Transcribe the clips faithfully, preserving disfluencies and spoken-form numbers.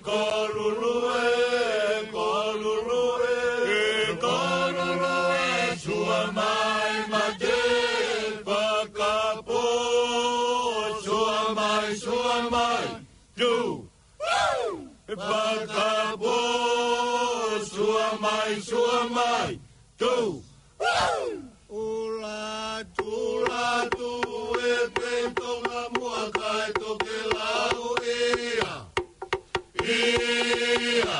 Kolulue, kolulue, kolulue, sua mai mate, fakapō, sua mai, sua mai, tu. Fakapō, sua mai, sua mai, tu. Ula, tula, tu, e pei Tonga muʻa kae tokelau ia. Ia,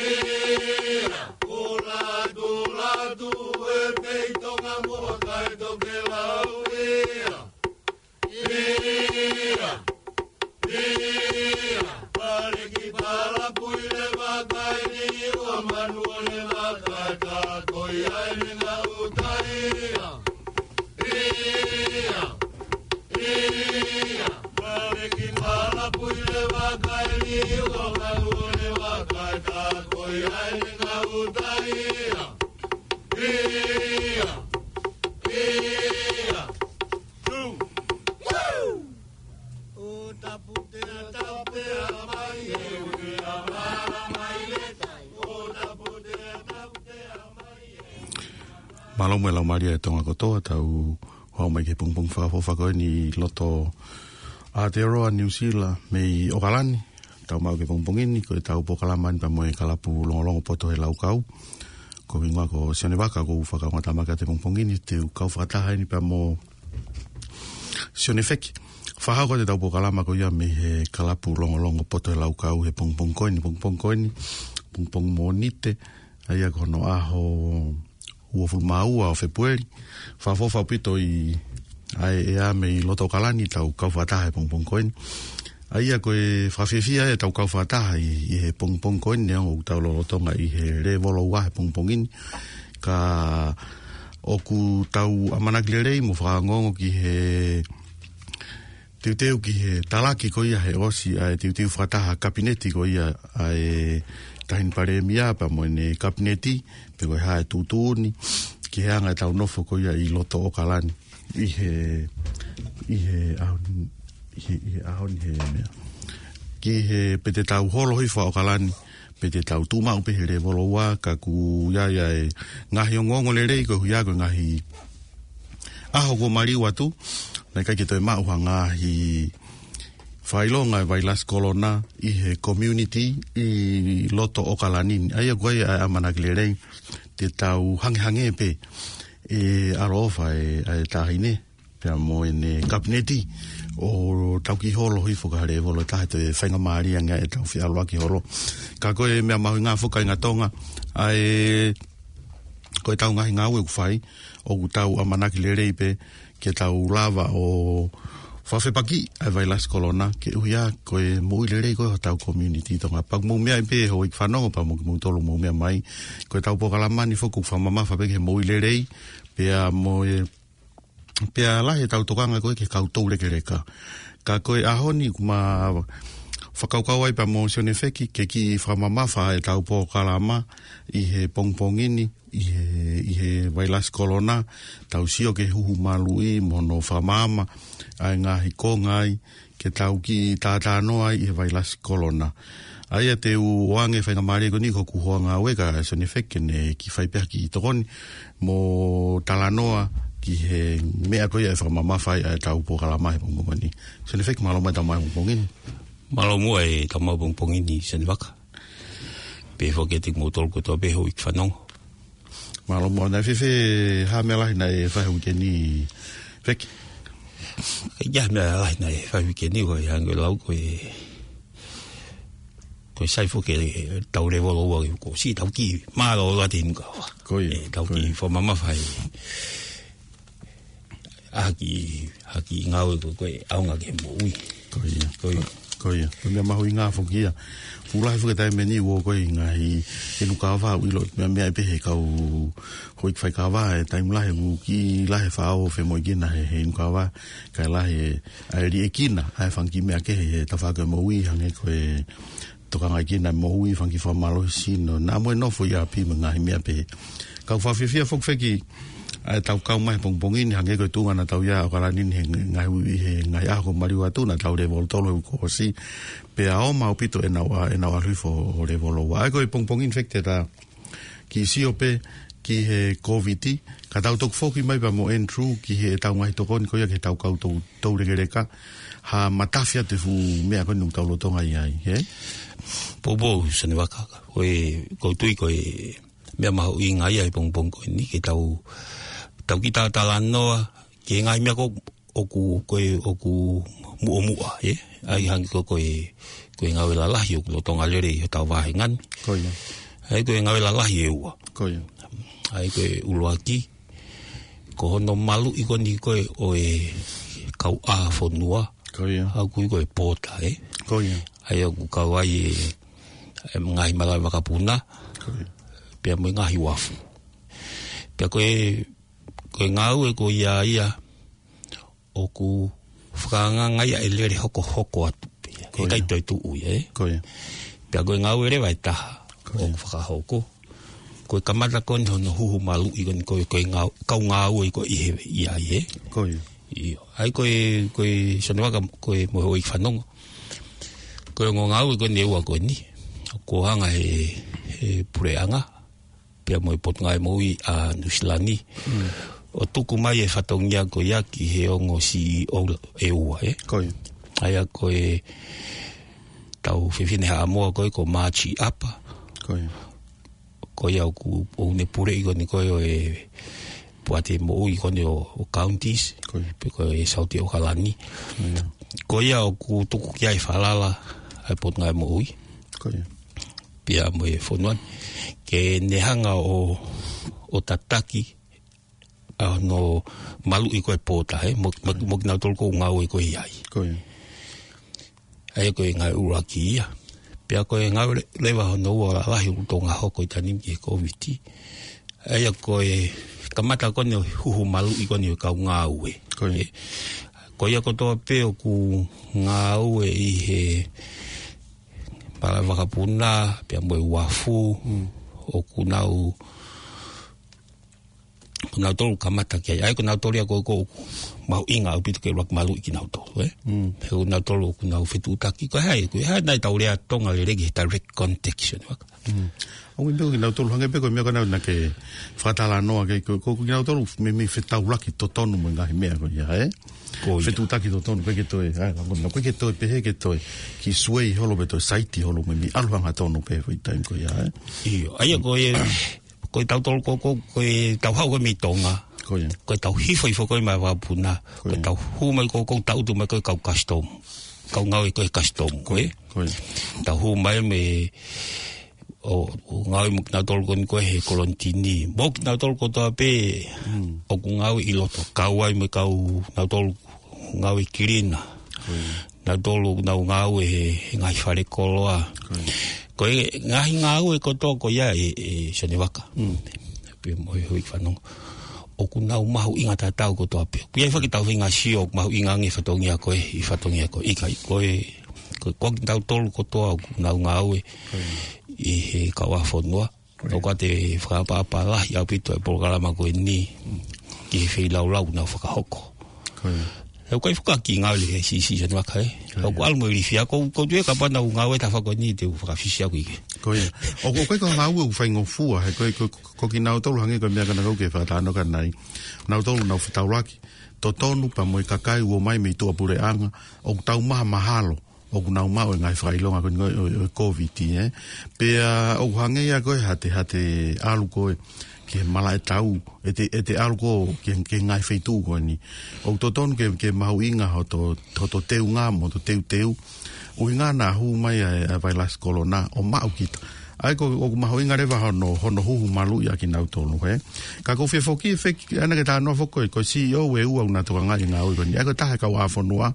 ia. Ula, tula, tu, e pei Tonga muʻa kae tokelau ia. Ia, ia. Pale ki pala pui le vakai ni ua manu le vakai ta koi ai le ngau taia. Ia, ia. Pale ki pala pui le vakai ni ua manu le vakai ta koi ai le ngau taia. Ia, ia. Two. Woo! Mālō mo e laumālie ʻa Tonga kotoa, tau hao mai ki he pongipongi fakaʻofoʻofa ko eni ʻi loto Aotearoa, New Zealand, mei ʻOkalani. Tau maʻu ki he pongipongi ni, ko e tau polokalama ni pea mo e kalapu Longolongo Poto he Laukau. Ko e hingoa ko Sione Vaka, ko u fakaongotamaki atu he pongipongi ni, te u kau fakataha eni pea mo Sione Feki. Fakahoko atu e tau polokalama ko ia mei he kalapu Longolongo Poto he Laukau he pongipongi ko eni, pongipongi ko eni, pongipongi Mōnite, ʻa ia ko hono ʻaho uofulu mā ua ʻo Fēpueli. Fakaʻofoʻofa ʻaupito ʻi ʻa e ʻea mei loto ʻOkalani tau kau fakataha he pongipongi ko eni. ʻA ia ko e fakafiefia e tau kau fakataha ʻi, ʻi he pongipongi ko eni, neongo ʻoku tau lolotonga ʻi he lēvolo ua he pongipongi ni. Ka ʻoku tau ʻamanaki lelei mo fakaongoongo ki he teuteu ki he talaki ko ia he ʻosi ʻa e teuteu fakataha kapineti ko ia ʻa e Taʻahine Palēmia pea mo ʻene kapineti, pe ko e hā e tuʻutuʻuni ki he anga e tau nofo ko ia ʻi loto ʻOkalani. ʻI he, ʻi he ʻaho ni, ʻi he, ʻi he ʻaho ni he meʻa. Ki he pe te tau holo hifo ʻa ʻOkalani, pe te tau tuʻu maʻu pē he lēvolo ua, ka ʻoku ʻi ai ʻa e ngaahi ongoongo lelei koeʻuhi ko e ngaahi ʻaho kuo maliu atu, naʻe ʻikai ke toe maʻu ha ngaahi fakaʻilonga e vailasi kolona ʻi he community ʻi loto ʻOkalani ni. ʻA ia ko e ʻamanaki lelei, te tau hangehangē pē ʻe ʻaloʻofa e, ʻa e Taʻahine pea mo ʻene kapineti ʻo tau kiʻi holo hifo ki ha lēvolo ʻe taha, toe faingamālie ange ʻetau feʻaluʻaki holo. Ka ko e meʻa mahuʻinga foki kāinga Tonga, ʻa e, ko e tau ngaahi ngāue ʻoku fai, ʻoku tau ʻamanaki lelei pē ke tau lava ʻo fakafepakiʻi ʻa e vailasi kolona, koeʻuhi ko e moʻui lelei ko ē hotau community Tonga. Pea ʻoku mou meaʻi pē houʻeiki fanongo pea mo kimoutolu mou meʻa mai, ko e tau polokalama ni foki ʻoku fakamamafa pē ki he moʻui lelei, pea mo e, pea lahi e tau tokanga ko ē ki he kau toulekeleka. Ka ko e ʻaho ni ʻoku ma fakakaukau ai pea mo Sione Feki ke kiʻi fakamamafa e tau polokalama ʻi he pongipongi ni, ʻi he, ʻi he vailasi kolona, tau sio ki he huhu maluʻi mo hono fakamaama ʻa e ngaahi konga ai, ke tau kiʻi tātānoa ai ʻi he vailasi kolona. ʻA ia te u ʻoange faingamālie ko eni ki hoku hoa ngāue ko Sione Feki ke ne kiʻi fai pē ha kiʻi tokoni mo talanoa ki he meʻa ko ia ʻe fakamamafa ai ʻa e tau polokalama he pongipongi ni. Sione Feki, mālō muʻa e tau mai pongipongi ni. Mālō muʻa e tau mai pongipongi ni, Sione Vaka. Pehē foki kiate kimoutolu kotoa pē houʻeiki fanongo. Mālō muʻa. Naʻe fēfē, ha meʻa lahi naʻe fai he uike ni, Feki? ʻIkai ha meʻa lahi naʻe fai he uike ni, ko e hangē ko e lau ko e, ko e sai foki e tau lēvolo ua, ko e siʻi tau kiʻi mālōlō atu he inu kava. Ko ia, ʻe tau ko ia. Kiʻi fakamamafa ai ʻa e kiʻi, ʻa e kiʻi ngāue ko ē ʻoku ʻaonga ki he moʻui. Ko ia. Ko ia. Ko ia. Ko e meʻa mahuʻinga foki ia. Fuʻu lahi foki e taimi ni ʻoku ʻi ai e ngaahi inu kava, ʻoku ʻilo meʻa, meʻa pē he kau houʻeiki faikava, e taimi lahi ʻoku kiʻi lahi e faʻao femoʻuekina he, he inu kava, kae lahi e, ʻa e liʻekina ʻa e fanga kiʻi meʻa kehe he tafaʻaki moʻui, hangē ko e tokangaʻi kinaua e moʻui, fanga kiʻi fakamālohisino, naʻa mo e nofo ʻi ʻapi mo e ngaahi meʻa pehē. Kau fakafiefia foki feki, ʻa ʻetau kau mai he pongipongi ni, hangē ko e tuʻunga naʻa tau ʻi ai ʻi ʻAokalani ni he ngaahi ui, he ngaahi ʻaho kuo maliu atu, naʻa tau lēvolo tolu he uike kuo ʻosi, pea ʻoku ʻomai ʻaupito ʻenau ʻa, ʻenau ʻalu hifo ʻo lēvolo ua. ʻA ia ko e pongipongi ni feki te ta kiʻi sio pē ki he Kōviti, ka tau toki foki mai pea mo Andrew ki heʻetau ngaahi tokoni ko ia ki heʻetau kau tou, toulekeleka, ha matafi atu e fuʻu meʻa ko eni ʻoku tau lolotonga ʻi ai, ē? Poupou, Sone Vaka, ko e, ʻoku ou tui ko e meʻa mahuʻinga ia he pongipongi ko eni, ke tau, tau kiʻi talatalanoa ki he ngaahi meʻa ko ʻoku, ko e, ʻoku muʻomuʻa, ē? ʻA ia hangē ko, ko e, ko e ngāue lalahi ʻoku lolotonga lele ʻi hotau vāhenga ni. Ko ia. ʻA ia ko e ngāue lalahi ʻe ua. Ko ia. ʻA ia ko e ʻuluaki, ko hono maluʻi ko eni ko ē ʻo e kauʻāfonua. Ko ia. ʻA ia ko e pōta, ē? Ko ia. ʻA ia ʻoku kau ai e, e ngaahi malaʻe vakapuna. Ko ia. Pea mo e ngaahi uafu. Pea ko e, ko e ngāue ko ia ia, ʻoku fakaangaanga ia ʻe lele hokohoko atu pē. Ko ia. ʻIkai toe tuʻu ia, ē? Ko ia. Pea ko e ngāue leva ʻe taha, ko ia, ʻoku fakahoko, ko e kamata ko eni hono huhu maluʻi ko eni ko e, ko e ngāu-, kau ngāue ko ē ʻi he, ʻi ai, ē? Ko ia. ʻIo. ʻA ia ko e, ko e Sone Vaka, ko e mo e houʻeiki fanongo. Ko e ongo ngāue ko eni ʻe ua ko eni, ʻoku hanga he, he puleʻanga pea mo e Potungāue Moʻui ʻa Nuʻusila ni. Mm. ʻO tuku mai e fatongia ko ia ki he ongo C E O ʻe ua, ē? Ko ia. ʻA ia ko ʻetau fefine Haʻamoa ko ē ko Machi ʻApa. Ko ia. Ko ia ʻoku, ʻoku ne puleʻi ko eni ko ē ʻo e poate moʻui ko eni ʻo, ʻo counties. Ko ia. Pe ko e Saute ʻAokalani. Ko ia. Ko ia ʻoku tuku ki ai e falala ʻa e Potungāue Moʻui. Ko ia. Pea mo e fonua ni, ke ne hanga ʻo, ʻo tataki ʻa hono maluʻi ko ē e pōta, ē, mo, mo, mo kinautolu ʻoku ngāue ko ē ʻi ai. Ko ia. ʻA ia ko e ngāue ʻuluaki ia. Pea ko e ngāue le-, leva hono ua lalahi ʻoku lolotonga hoko ʻi he taimi ni ki he Kōviti. ʻA ia ko e kamata ko eni e huhu maluʻi ko eni ʻo e kau ngāue. Ko ia. Ē, ko ia kotoa pē ʻoku ngāue ʻi he malaʻe vakapuna, pea mo e uafu, mm, ʻoku nau, ko nautolu kamata ki ai. ʻA ia ko nautolu ia ko, ʻoku mahuʻinga ʻaupito ke ʻuluaki maluʻi kinautolu, ē? Mm. He ko nautolu ʻoku nau fetuʻutaki, ko e hā, ko e hā nai ʻetau lea Tonga lelei ki he direct contact, Sone Vaka. Mm. ʻOku ʻi ai pē kinautolu hangē pē ko e meʻa ko ena naʻa ke fakatalanoa ki ai, ko, ko, ko kinautolu meimei fetaulaki totonu mo e ngaahi meʻa ko ia, ē? Ko ia. Fetuʻutaki totonu, ʻikai ke toe, ʻa, ko ena, ʻikai ke toe pehē ke toe kiʻi suei holo pe toe saiti holo, meimei ʻalu hangatonu pē he foʻi taimi ko ia, ē? ʻIo, ʻa ia ko e, ko e tautolu ko, ko, ko e tau haʻu ko ē mei Tonga. Ko ia. Ko e tau hifo hifo ko ē mei he vakapuna. Ko ia. Ko e tau hū mai ko, ko e tau tuʻu mai ko e kau custom. Kau ngāue ko e custom, ko ē. Ko ia. Tau hū mai mei ʻo, ʻo ngāue mo kinautolu ko eni ko ē he kolonitini. Mo kinautolu kotoa pē, mm, ʻoku ngāue ʻi loto. Kau ai mo e kau nautolu ngāue kilina. Ko ia. Nautolu ʻoku nau ngāue he, he ngaahi fale koloa. Ko ia. Ko e ngaahi ngāue kotoa ko ia ē, ē Sone Vaka. Mm. Pea mo e houʻeiki fanongo. ʻOku nau mahuʻinga tatau kotoa pē. ʻOku ʻi ai foki ʻetau feinga sio ʻoku mahuʻinga ange fatongia ko ē, ʻi fatongia ko ē. ʻIkai, ko e, ko, ko kitautolu kotoa ʻoku nau ngāue, ko ia, ʻi he kauʻāfonua. Ko ia. ʻOku ʻi ai e fakaʻapaʻapa lahi ʻaupito e polokalama ko eni ki he feilaulau ʻoku nau fakahoko. Ko ia. He ʻoku ʻikai foki ke ngāue lelei he siʻisiʻi Sone Vaka, ē. Ko ia. ʻOku ʻalu mo e ilifia, ko, ʻoku ou tui kapau naʻa ku ngāue he tafaʻaki ko eni te u fakafisi au ki ai. Ko ia. ʻOku, ʻoku ʻikai ko ha ngāue ʻoku faingofua, he ko, ko, ko kinautolu hangē ko e meʻa ko ena ʻoku ke fakatalanoa ki ai. Nautolu nau fetaulaki totonu pea mo e kakai ʻoku ō mai mei tuʻapuleʻanga, ʻoku tau maha mahalo ʻoku nau maʻu e ngaahi fakaʻilonga ko eni ʻo, ʻo, ʻo e Kōviti, ē. Pea ʻoku hangē ia ko e hā te, hā te ʻalu ko ē ki he malaʻe tau, ʻete, ʻete ʻalu ko ē ki he, ki he ngaahi feituʻu ko eni. ʻOku totonu ke, ke mahuʻinga hoto, hoto teunga mo hoto teuteu. ʻUhinga naʻa hū mai ʻa e, ʻa e vailasi kolona ʻo maʻu kita. ʻA ia ko, ʻoku mahuʻinga leva hono, hono huhu maluʻi ʻa kinautolu, ē. Ka ʻoku ou fie foki, feki, ʻa ena ke talanoa foki ko e, ko e C E O ʻe ua ʻoku na tokangaʻi e ngāue ko eni. ʻA ia ko e taha e kauʻāfonua,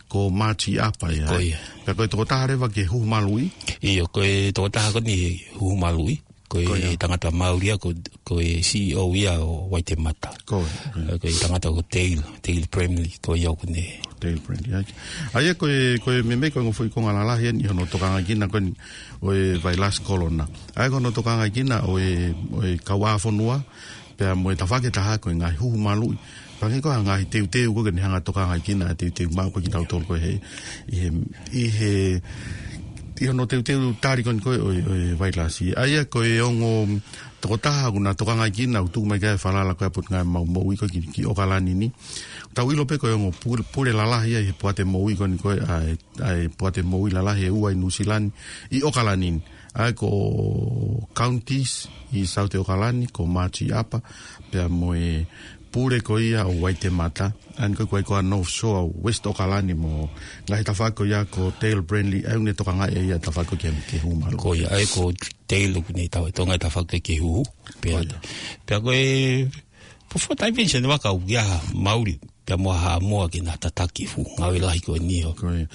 ko Machi ʻApa ia. Ko ia. Pea ko e tokotaha leva ki he huhu maluʻi? ʻIo, ko e tokotaha ko eni huhu maluʻi. Ko e Ko ia. tangata Maori ia, ko, ko e C E O ia ʻo Waitemata. Ko ia. Ko e tangata ko Dale, Dale Bramley, ko ia ʻoku ne. Dale Bramley, ʻai. ʻA ia ko e, ko e meimei ko e ongo foʻi konga lalahi eni ʻi hono tokangaʻi kinaua ko eni ʻo e vailasi kolona. ʻA ia ko hono tokangaʻi kinaua ʻo e, ʻo e kauʻāfonua, pea mo e tafaʻaki ʻe taha ko e ngaahi huhu maluʻi. Pea hangē ko e ngaahi teuteu ko ē ke ne hanga ʻo tokangaʻi kinaua, teuteu maʻu ko ē kitautolu ko ē he, ʻi he, ʻi he, ʻi hono teuteu tali ko eni ko ē ʻo e, ʻo e vailasi. ʻA ia ko e ongo tokotaha ʻoku na tokangaʻi kinaua, ʻoku tuku mai ki ai e falala ko ē ʻa e Potungāue Maʻu Moʻui ko ē ki, ki ʻOkalani ni. Tau ʻilo pē ko e ongo pule, pule lalahi ia ʻi he poate moʻui ko eni ko ē ʻa e, ʻa e poate moʻui lalahi ʻe ua ʻi Nuʻusila ni, ʻi ʻOkalani ni. ʻA ia ko Counties ʻi South ʻOkalani, ko Margie Upper, pea mo e pule ko ia ʻo Waitemata, ʻa eni ko ē ko e ko ē North Shore ʻo West ʻOkalani mo e ngaahi tafaʻaki ko ia ko Dale Bramley, ʻa ia ʻoku ne tokangaʻi ʻa e tafaʻaki ko ē ki he, ki he huhu maluʻi. Ko ia, ʻa ia ko Dale ʻoku ne tau e tonga e tafaʻaki ki he huhu. Pea, Ko ia. pea ko e, po fuataʻi pē eni Sione Vaka ʻoku ʻi ai ha Maori, pea mo ha Haʻamoa ke na tataki e fuʻu ngāue lahi ko eni ʻo. Ko ia.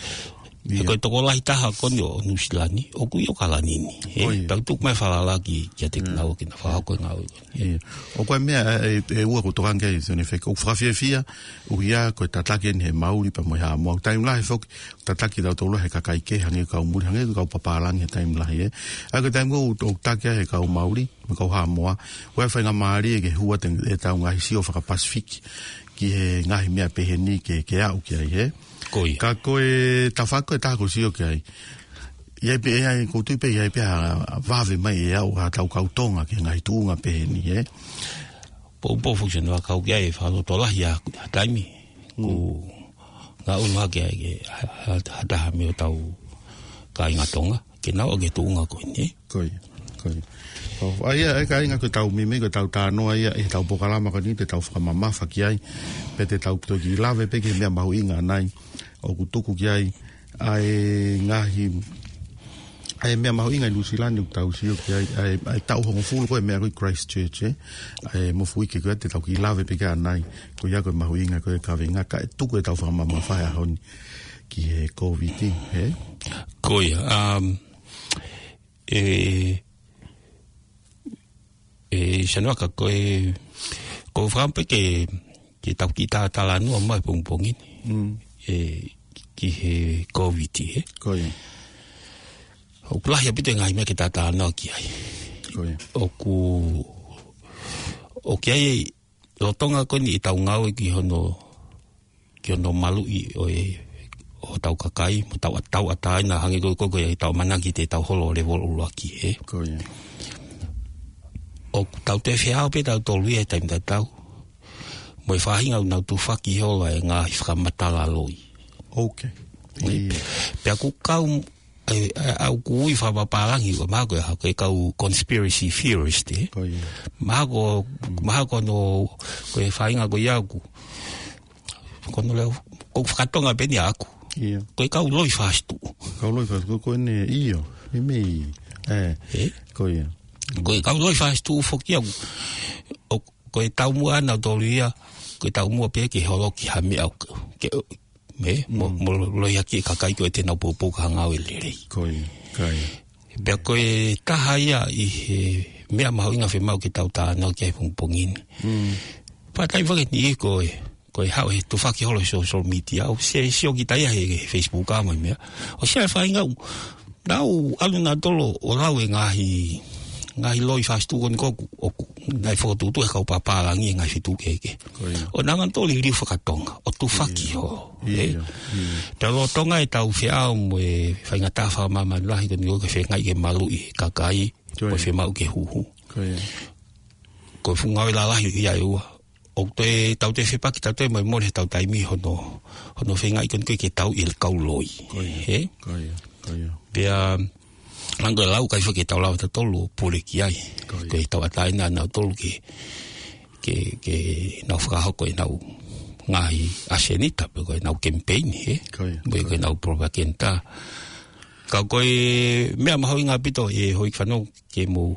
He Ia. ko e tokolahi taha ko eni ʻo Nuʻusila ni, ʻoku ʻi ʻOkalani ni. He, Ko ia. pea tuku mai e falala ki, kiate Mm. kinaua ke na fakahoko e ngāue ko eni. Ia. ʻO ko e meʻa, ʻe, ʻe, ʻe ua ʻoku ou tokanga ki ai, Sione Vaka, ʻoku fakafiefia, ʻuhia ko e tataki eni he Maori pea mo e Haʻamoa. Taimi lahi foki, tataki tautolu he kakai kehe hangē ko e kau muli, hangē ko e kau papālangi he taimi lahi, ē. ʻA ia ko e taimi ko ē ʻoku, ʻoku tataki ai he kau Maori, mo e kau Haʻamoa. ʻOku ʻi ai e faingamālie ke hū atu ʻetau ngaahi sio faka-Pasifiki ki he ngaahi meʻa pehē ni ke, ke aʻu ki ai, ē. Ko ia. Ka ko e tafaʻaki ko ē ʻe taha ʻoku ou sio ki ai. ʻI ai pē, ʻi ai, ʻoku ou tui pē ʻi ai pē ha vave mai ʻe aʻu ha tau kau Tonga ki he ngaahi tuʻunga pehē ni, ē. Poupou foki Sione Vaka ʻoku ʻi ai e fakalotolahi ʻa, ʻa e taimi. Mm. ʻOku ngaʻunu hake ai ke ha, ha, ha taha mei hotau kāinga Tonga ke nau ō ki he tuʻunga ko eni. Ko ia, ko ia. ʻO, ʻa ia, ʻa ia kāinga ko ʻetau meimei, ko ʻetau talanoa ia, ʻi heʻetau polokalama ko eni, te tau fakamamafa ki ai, pea te tau toki lave pē ki he meʻa mahuʻinga ʻanai, ʻoku tuku ki ai, ʻa e ngaahi, ʻa e meʻa mahuʻinga ʻi Nuʻusila ni ʻoku tau sio ki ai, ʻa e, ʻa e taʻu hongofulu ko ē meʻa ko ē ʻi Christchurch, ē? ʻA e mofuike ko ē te tau kiʻi lave pē ki ai ʻanai, ko ia ko e mahuʻinga ko ē e kaveinga kae tuku ʻetau fakamamafa he ʻaho ni ki he Covid, ē? Ko ia, um, ʻe, ʻe, Sione Vaka ko e, ʻoku ou fakaʻamu pē ke, ke tau kiʻi talatalanoa mai pongipongi ni. Mm. ʻE, ki he Covid, ē? Ko ia. ʻOku lahi ʻaupito e ngaahi meʻa ke talatalanoa ki ai. Ko ia. ʻOku, ʻoku ʻi ai e lolotonga ko eni ʻetau ngāue ki hono, ki hono maluʻi ʻo e, ʻo hotau kakai, mo tau, tauʻatāina hangē ko ē, ko ē, ko ē ʻetau ʻamanaki te tau holo ʻo lēvolo ʻuluaki, ē. Ko ia. ʻOku tau toe feʻao pē tautolu ia he taimi tatau mo e faʻahinga ʻoku nau tufaki holo ai e ngaahi fakamatala loi. Ok. Ia. Pea ʻoku kau, ʻe, ʻa, ʻa, ʻoku ui fakapapālangi, ʻoku mahalo ko e, ko e kau conspiracy theorist, ē? Ko ia. Mahalo ko, Mm. mahalo ko hono, ko e faʻahinga ko ia ʻoku, ko hono lea, ʻoku fakatonga pē eni ʻaʻaku. Ia. Ko e kau loi fakasituʻu. Kau loi fakasituʻu, ko eni, ʻio. Meimei, ē. Ē? Ko ia. Ko e kau loi fakasituʻu foki ia ʻoku, ʻo, ko e taumuʻa ʻanautolu ia, ko e taumuʻa pē ke holoki ha meʻa ʻoku, ke, me, mo, Mm. mo lohiakiʻi e kakai ko ē te nau poupou ki ha ngāue lelei. Ko ia, ko ia. Pea ko e taha ia ʻi he meʻa mahuʻinga fiemaʻu ke tau talanoa ki ai pongipongi ni. Mm. Pea taimi fake ni ko e, ko e haʻu he tufaki holo he social media. ʻOku sio, sio kita ia he, he Facebook ʻa mo e meʻa. ʻOku ʻi ai e faʻahinga ʻoku nau ʻalu nautolu ʻo lau e ngaahi, ngaahi loi fakasituʻu ko eni ʻoku, ʻoku nau fokotuʻutuʻu he kau papālangi e ngaahi feituʻu kehekehe. Ko ia. ʻO nau hanga nautolu ʻo liliu fakatonga, ʻo tufaki Ia. holo, Ia, ē? ia. Pea lolotonga ʻetau feʻao mo e faingataʻa fakamāmani lahi ko eni ʻoku feingaʻi ke maluʻi e kakai, Ko ia. ʻoku fiemaʻu ke huhu. Ko ia. Ko e fuʻu ngāue lalahi ia ʻe ua. ʻOku toe, tau toe fepaki, tau toe molemole heʻetau taimi hono, hono feingaʻi ko eni ko ē ke tau ʻi he kau loi. Ko ia. Ē? Ko ia, ko ia. Pea, hangē ko e lau, ʻikai fai ke tau lava tautolu ʻo pule ki ai. Ko ia. Ko e tauʻatāina ʻanautolu ke, ke, ke nau fakahoko ʻenau ngaahi ʻasenita, pe ko ʻenau kemipeini, ē? Ko ia. Pe ko ʻenau propaganda. Ka ko e meʻa mahuʻinga ʻaupito ʻe houʻeiki fanongo ke mou,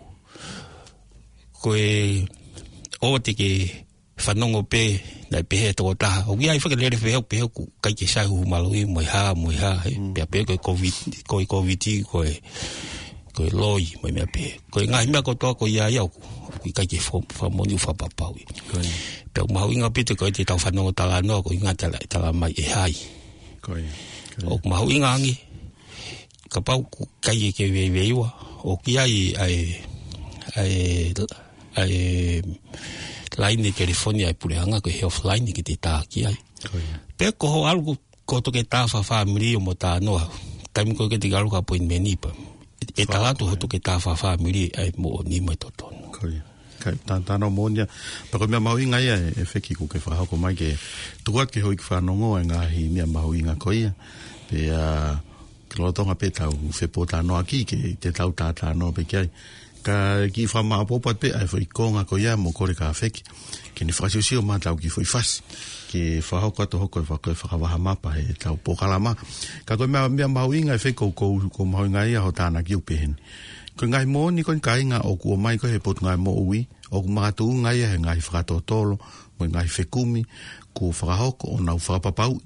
ko e ʻoua te ke fanongo pē naʻe pehē ʻe he tokotaha. ʻOku ʻi ai fake lele pehē, pehē ʻoku ʻikai ke sai huhu maluʻi mo e hā, mo e hā, ē. Mm. Pea pehē ko e Covid, ko e Covid, ko e, ko e loi, mo e meʻa pehē. Ko e ngaahi meʻa kotoa ko ia ia ʻoku, ʻoku ʻikai ke fo-, fakamoʻoni ʻoku fakapapauʻi. Ko ia. Pea ʻoku mahuʻinga pē te ko e te tau fanongo talanoa, ko e ngaahi tala, tala mai ʻe hai. Ko ia. Ko ia. ʻOku mahuʻinga ange, kapau ʻoku ʻikai ke veiveiua, ʻoku ʻi ai ʻa e, ʻa e, ʻa e laine telefoni ʻa e puleʻanga ko e Healthline ke te tā ki ai. Ko ia. Pea ko hoʻo ʻalu ko, ko e toketā fakafāmili ʻo mo talanoa. Taimi ko ē ke te ʻalu ki he appointment pē. ʻE tala atu hoʻo toketā fakafāmili ʻa e moʻoni mo e totonu. Ko ia. Kae tā, talanoa moʻoni ia. Pea ko e meʻa mahuʻinga ia ʻe, ʻEfeki ʻoku ke fakahoko mai ke tuku atu ki he houʻeiki fanongo e ngaahi meʻa mahuʻinga ko ia. Pea, ʻa, ke lolotonga pē ʻetau fepōtalanoaʻaki ke te tau talanoa pē ki ai. Ka kiʻi fakamāʻopoʻopo atu pē ʻa e foʻi konga ko ia mo kole kia ʻEfeki ke ne fakasiosio mai ʻetau kiʻi foʻi fasi ke fakahoko atu hoko e faka-, fakavaha mapa heʻetau polokalama. Ka ko e meʻa, meʻa mahuʻinga ʻEfeki ʻoku, ʻoku, ʻoku mahuʻinga ia hoʻo tānaki ʻo pehē ni. Ko e ngaahi moʻoni ko eni kāinga ʻoku ʻomai ko ē he Potungāue Moʻui, ʻoku makatuʻunga ia he ngaahi fakatotolo, mo e ngaahi fekumi, kuo fakahoko ʻo nau fakapapauʻi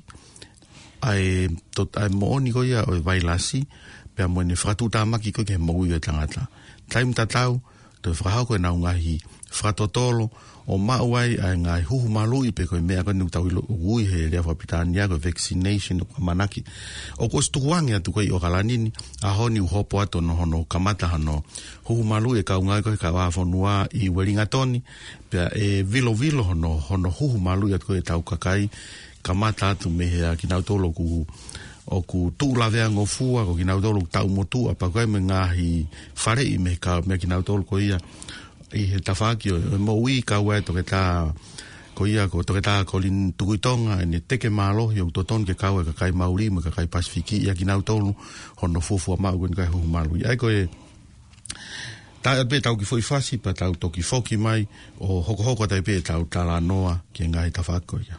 ʻa e to-, ʻa e moʻoni ko ia ʻo e vailasi, pea mo ʻene fakatuʻutāmaki ko ē ki he moʻui ʻo e tangata. Taimi tatau, toe fakahoko ʻenau ngaahi fakatotolo, ʻo maʻu ai ʻa e ngaahi huhu maluʻi pe ko e meʻa ko eni ʻoku tau ʻilo ʻoku ui he lea fakapilitānia ko e vaccination ʻoku ʻamanaki. ʻOku ʻosi tukuange atu ko ē ʻi ʻOkalani ni, ʻaho ni ʻoku hopo atu hono, hono kamata hono huhu maluʻi e kau ngāue ko ē he kauvāfonua ʻi Uelingatoni, pea ʻe vilovilo hono, hono huhu maluʻi atu ko ē ʻetau kakai, kamata atu mei he ʻa kinautolu ʻoku, ʻoku tuʻu laveangofua, ko kinautolu ʻoku taʻu motuʻa, pea ko e mo e ngaahi faleʻi mei he ka-, mei he kinautolu ko ia ʻi he tafaʻaki ʻo, ʻo e moʻui kau ai toketā, ko ia ko toketā Kolini Tukuitonga, ʻene teke mālohi ʻoku totonu ke kau e kakai Mauli mo e kakai Pasifiki ʻia kinautolu, hono fuofua maʻu ko eni ʻa e huhu maluʻi. ʻA ia ko e, tā atu pē ʻetau kiʻi foʻi fasi pea tau toki foki mai ʻo hokohoko atu ai pē ʻetau talanoa ki he ngaahi tafaʻaki ko ia.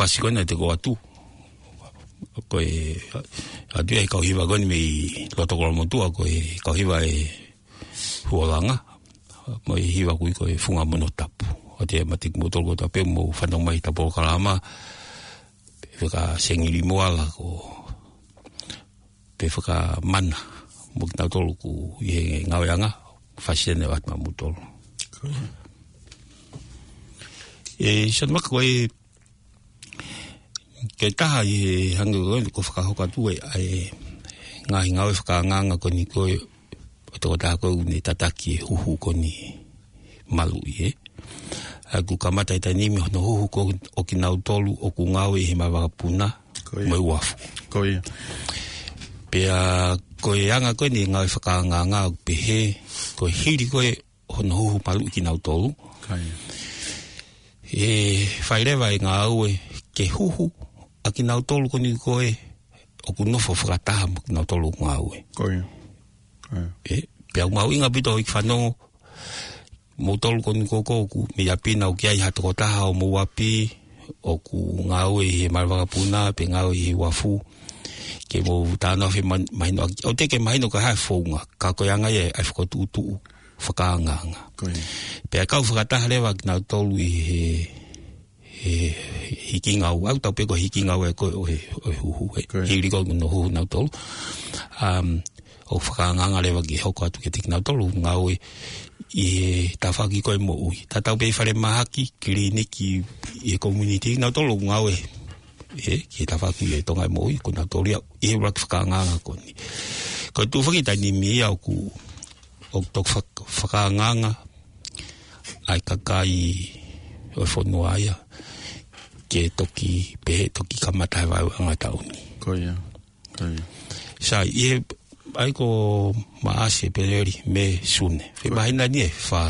pasi ko ena te ko atu. Ko e, atu e kau hiva ko eni mei loto Kolomotuʻa, ko e kau hiva ʻe Huolanga. Mo e hiva ʻoku ui ko e Funga Mono Tapu. ʻOatu ia meiate kimoutolu kotoa pē ʻoku mou fanongo mai he polokalama. Pea faka Sengili Moala ko, pea faka Mana. Mo kinautolu ʻoku ʻi he ngāueʻanga, fasi ʻene ʻoatu maʻamoutolu. ʻE, Sione Vaka ko e, ke taha ʻi he hangē ko ē ʻoku fakahoko atu ʻe, ʻa e ngaahi ngāue fakaangaanga ko eni ko e, ʻo e tokotaha ko ē ʻoku ne tataki e huhu ko eni maluʻi, ē. ʻA ia ʻoku kamata he taimi ni mei hono huhu ko ē ʻo kinautolu ʻoku ngāue ʻi he malanga vakapuna Ko ia. mo e uafu. Ko ia. Pea ko e anga ko eni e ngāue fakaangaanga ʻoku pehē, ko e hili ko ē hono huhu maluʻi kinautolu. Ko ia. ʻE fai leva e ngāue ke huhu ʻa kinautolu ko eni ko ē ʻoku nofo fakataha mo kinautolu ʻoku ngāue. Ko ia. Ko ia. ʻE, pea ʻoku mahuʻinga ʻaupito ʻoku fanongo, moutolu ko eni ko ē ʻoku mei ʻapi na ʻoku ʻi ai ha tokotaha ʻo homou ʻapi, ʻoku ngāue ʻi he malanga vakapuna, pe ngāue ʻi he uafu. Ke mou talanoa femahinoʻaki. ʻOku teʻeki ke mahino ko e hā e founga, ka ko e anga ia ʻa e fokotuʻutuʻu fakaangaanga. Ko ia. Pea kau fakataha leva kinautolu ʻi he, he hiki ngāue, ʻoku tau pehē ko e hiki ngāue ko ē ʻo e, ʻo e huhu, ē. Ko ia. Hili ko ē hono huhu nautolu. Um, ʻoku fakaangaanga leva ke hoko atu kiate kinautolu ʻoku ngāue ʻi he tafaʻaki ko ē moʻui. Tatau pē ʻi falemahaki, kiliniki, ʻi he community, nautolu ʻoku ngāue ē, ki he tafaʻaki ʻo e Tonga ʻi he moʻui, ko nautolu ia ʻi he ʻuluaki fakaangaanga ko eni. Ko e tuʻu foki he taimi ni ia ʻoku, ʻoku toki fak-, fakaangaanga ʻa e kakai ʻo e fonua ia ke toki pehē toki kamata he vaeuanga taʻu ni. Ko ia. Ko ia. Sai, ʻi he, ʻa ia ko Maʻasi, ʻEpeleli, Mē, Sune. Ko ia. Māhina eni ʻe fā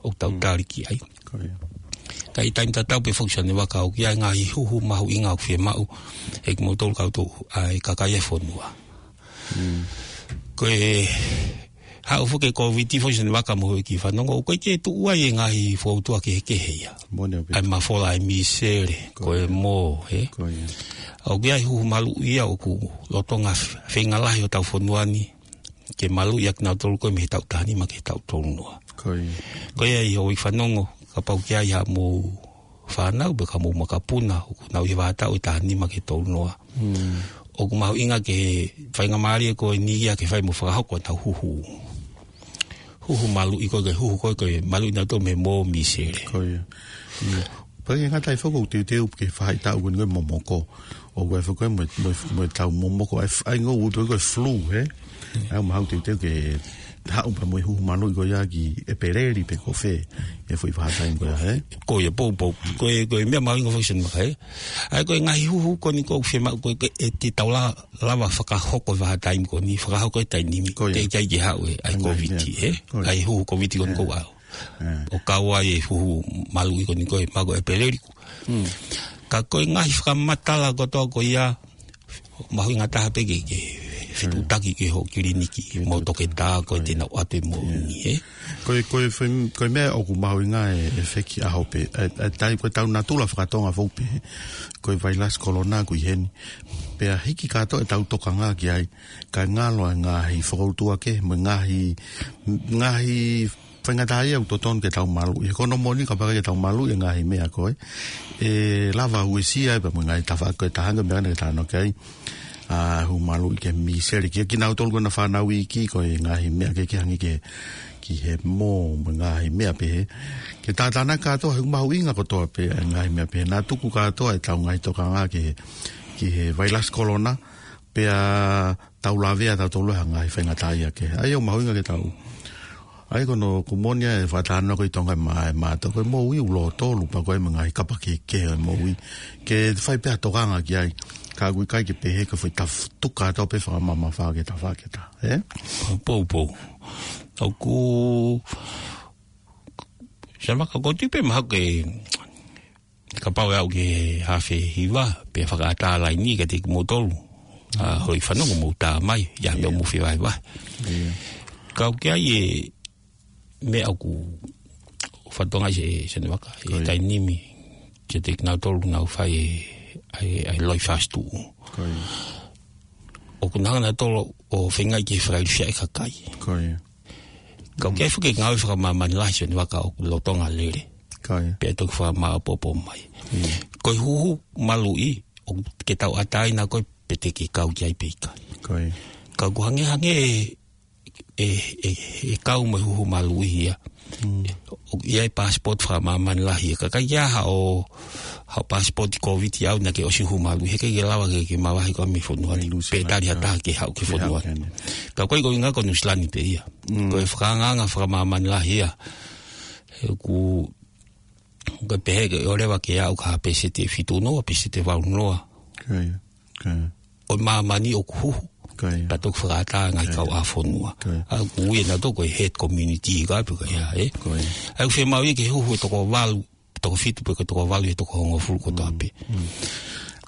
ʻoku tau Mm. tali ki ai. Ko ia. Ka ʻi he taimi tatau pē foki Sione Vaka ʻoku ʻi ai e ngaahi huhu mahuʻinga ʻoku fiemaʻu ʻe kimoutolu kau tau, ʻa e kakai e fonua. Mm. Ko e haʻu foki e Kōviti foki Sione Vaka mo e kiʻi fanongo, ʻoku ʻikai ke tuʻu ai e ngaahi fokoutua kehekehe ia. Moʻoni ʻaupito. ʻA e mafola, ʻa e misele, Ko ko e ia. mō, ē? Ko ia. ʻOku ʻi ai e huhu maluʻi ia ʻoku lolotonga f-, feinga lahi hotau fonua ni ke maluʻi ʻa kinautolu ko ē mei he taʻu taha nima ki he taʻu tolu noa. Ko ia. Ko ia ʻi hoʻo kiʻi fanongo, kapau ʻoku ʻi ai haʻamou fānau pe ko homou makapuna ʻoku nau ʻi he vahaʻa taʻu ʻe taha nima ki he tolu noa. Mm. ʻOku mahuʻinga ke faingamālie ko eni ia ke fai mo fakahoko ʻenau huhu. Huhu maluʻi ko ē, ke huhu ko ē, ke maluʻi nautolu mei he mō, misele. Ko ia. Mm. Pea ʻikai ngata ai foki ʻoku teuteu ke fai taʻu ko eni ko e momoko. ʻOku ʻi ai foki ko ē mo, mo, mo e tau momoko. ʻA e f-, ʻa e ngāue ʻoku ui ko e flu, ē? ʻA ia ʻoku mahuʻinga teuteu ke haʻu pē mo e huhu maluʻi ko ia ki ʻEpeleli pe ko fē. ʻI he foʻi vahaʻa taimi ko ia, ē? Ko ia, poupou. Ko e, ko e meʻa mahuʻinga foki Sione Vaka, ē? ʻA ia ko e ngaahi huhu ko eni ʻoku fiemaʻu ko ē ke, ʻe te tau la-, lava fakahoko he vahaʻa taimi ko eni, fakahoko he taimi ni, Ko ia. teʻeki ai ke haʻu e, ʻa e Ko ia, Kōviti, ia. ē? Ko ia. ʻA e huhu Kōviti ko eni Ia. ʻoku ʻalu. Ia. ʻO kau ai e huhu maluʻi ko eni ko ē, mako ʻEpeleli. Mm. Ka ko e ngaahi fakamatala kotoa ko ia, mahuʻinga taha pē ke, ke fetuʻutaki ki hoʻo kiliniki, Fetuʻutaki. mo e toketā ko ē Ko ia. te nau ʻoatu e moʻoni, Ia. ē? Ko e, ko e fem-, ko e meʻa ʻoku mahuʻinga e, e feki ʻaho pē. ʻA e, ʻa e tai ko e tau natula fakatonga foʻou pē. Ko e vailasi kolona ʻoku ʻi heni. Pea hiki kātoa ʻetau tokanga ki ai. Kae ngalo ʻa e ngaahi fokoutua kehe, mo e ngaahi, ngaahi faingataʻaʻia ʻoku totonu ke tau maluʻi. He ko hono moʻoni kapau ʻikai ke tau maluʻi e ngaahi meʻa ko ē, ʻe lava uesia ai pē mo e ngaahi tafaʻaki ko ē taha ange meʻa naʻe talanoa ki ai. ʻA, huhu maluʻi ki he misele. Ki, kinautolu ko ena fānau iiki ko e ngaahi meʻa kehekehe hangē ki he, ki he mō, mo e ngaahi meʻa pehē. Ke tātānaki kātoa, he ʻoku mahuʻinga kotoa pē ʻa e ngaahi meʻa pehē. Naʻa tuku kātoa ʻetau ngaahi tokanga ki he, ki he vailasi kolona, pea tau lavea tautolu he ngaahi faingataʻaʻia kehe. ʻA ia ʻoku mahuʻinga ke tau. ʻA ia ko hono, ʻoku moʻoni ʻa e fakatalanoa ko ē ʻi Tonga ʻe mā-, ʻe mātau ko e moʻui ʻoku lōtolu pea ko e mo e ngaahi kapa kehekehe ʻo e moʻui. Ke fai pē ha tokanga ki ai. Ka ʻoku ʻikai ke pehē ko e foʻi taf-, tuku kātoa pē fakamamafa ki he tafaʻaki ʻe taha, ē? Poupou. ʻOku, Sione Vaka, ʻoku ou tui pē mahalo ke kapau ʻe aʻu ki he hafe hiva, pea fakaʻatā laini kiate kimoutolu. ʻA, hoʻo kiʻi fanongo mou tā mai, ʻi ai ha meʻa Ia. mou fie vahevahe. Ia. Ka ʻoku ʻi ai e meʻa ʻoku fatongia ʻe Sione Vaka, ʻi he Ko ia. taimi ni. kiate kinautolu ʻoku nau fai ʻa e, ʻa e, ʻa e loi fast food. Ko ia. ʻOku nau hanga nautolu ʻo feingaʻi ke fakailifia e kakai. Ko ia. Ka ʻoku ʻi ai foki e ngāue fakamāmani lahi Sione Vaka ʻoku lolotonga lele. Ko ia. Pea toki fakamāʻopoʻopo mai. Ia. Ko e huhu maluʻi, ʻoku ke tauʻatāina ko e pē te ke kau ki ai pe ʻikai. Ko ia. Ka ʻoku hangehangē e, e, e, e kau mo e huhu maluʻi ia. Mm. ʻOku ʻi ai e passport fakamāmani lahi ia. Ka ʻikai ke ʻi ai haʻo, haʻo passport Covid ia ʻoku naʻa ke ʻosi huhu maluʻi. He ʻikai ke lava ke, ke mavahe koe mei fonua ni. Mai Nuʻu Sila. Pe tali ha taha ke haʻu ki fonua ni. Ka ko e, ko e ʻuhinga ko Nuʻu Sila ni pē ia. Mm. Ko e fakaangaanga fakamāmani lahi ia. He ʻoku, ʻoku pehē ke ʻoua leva ke aʻu ki ha pēseti ʻe fitu noa, pēseti ʻe valu noa. Ko ia. Ko ia. ʻO e māmani ʻoku huhu. Ko ia. Pea toki fakaʻatā e ngaahi kauʻāfonua. Ko ia. ʻA ia ʻoku ui ʻe nautolu ko e herd community ka pe ko ia, ē? Ko ia. ʻA ia ʻoku fiemaʻu ia ke huhu e toko valu, toko fitu pe ko e toko valu ʻi he toko hongofulu kotoa pē. Mm.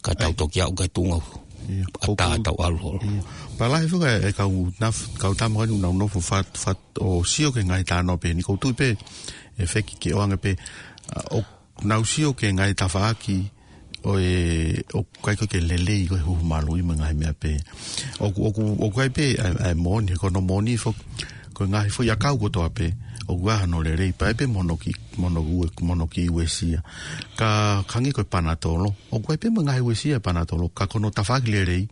Ka tau toki aʻu ki he tuʻunga ʻatā tau ʻalu holo. Ia. Pea lahi foki e kau naf-, kau tama ko eni ʻoku nau nofo fat-, fat-, ʻo sio ki he ngaahi talanoa pehē ni, ʻoku ou tui pē ʻe feki ke ʻoange pē, ʻa, ʻoku nau sio ki he ngaahi tafaʻaki ʻo e, ʻoku ʻikai ko ē ke lelei ko e huhu maluʻi mo e ngaahi meʻa pehē. ʻOku, ʻoku, ʻoku ʻi ai pē ʻa e, ʻa e moʻoni, he ko hono moʻoni foki, ko e ngaahi foʻi ʻakau kotoa pē ʻoku ʻi ai hano lelei, pea ʻi ai pē mo hono kiʻi, mo hono ue-, mo hono kiʻi uesia. Ka hangē ko e panatolo, ʻoku ʻi ai pē mo e ngaahi uesia e panatolo, ka ko hono tafaʻaki lelei,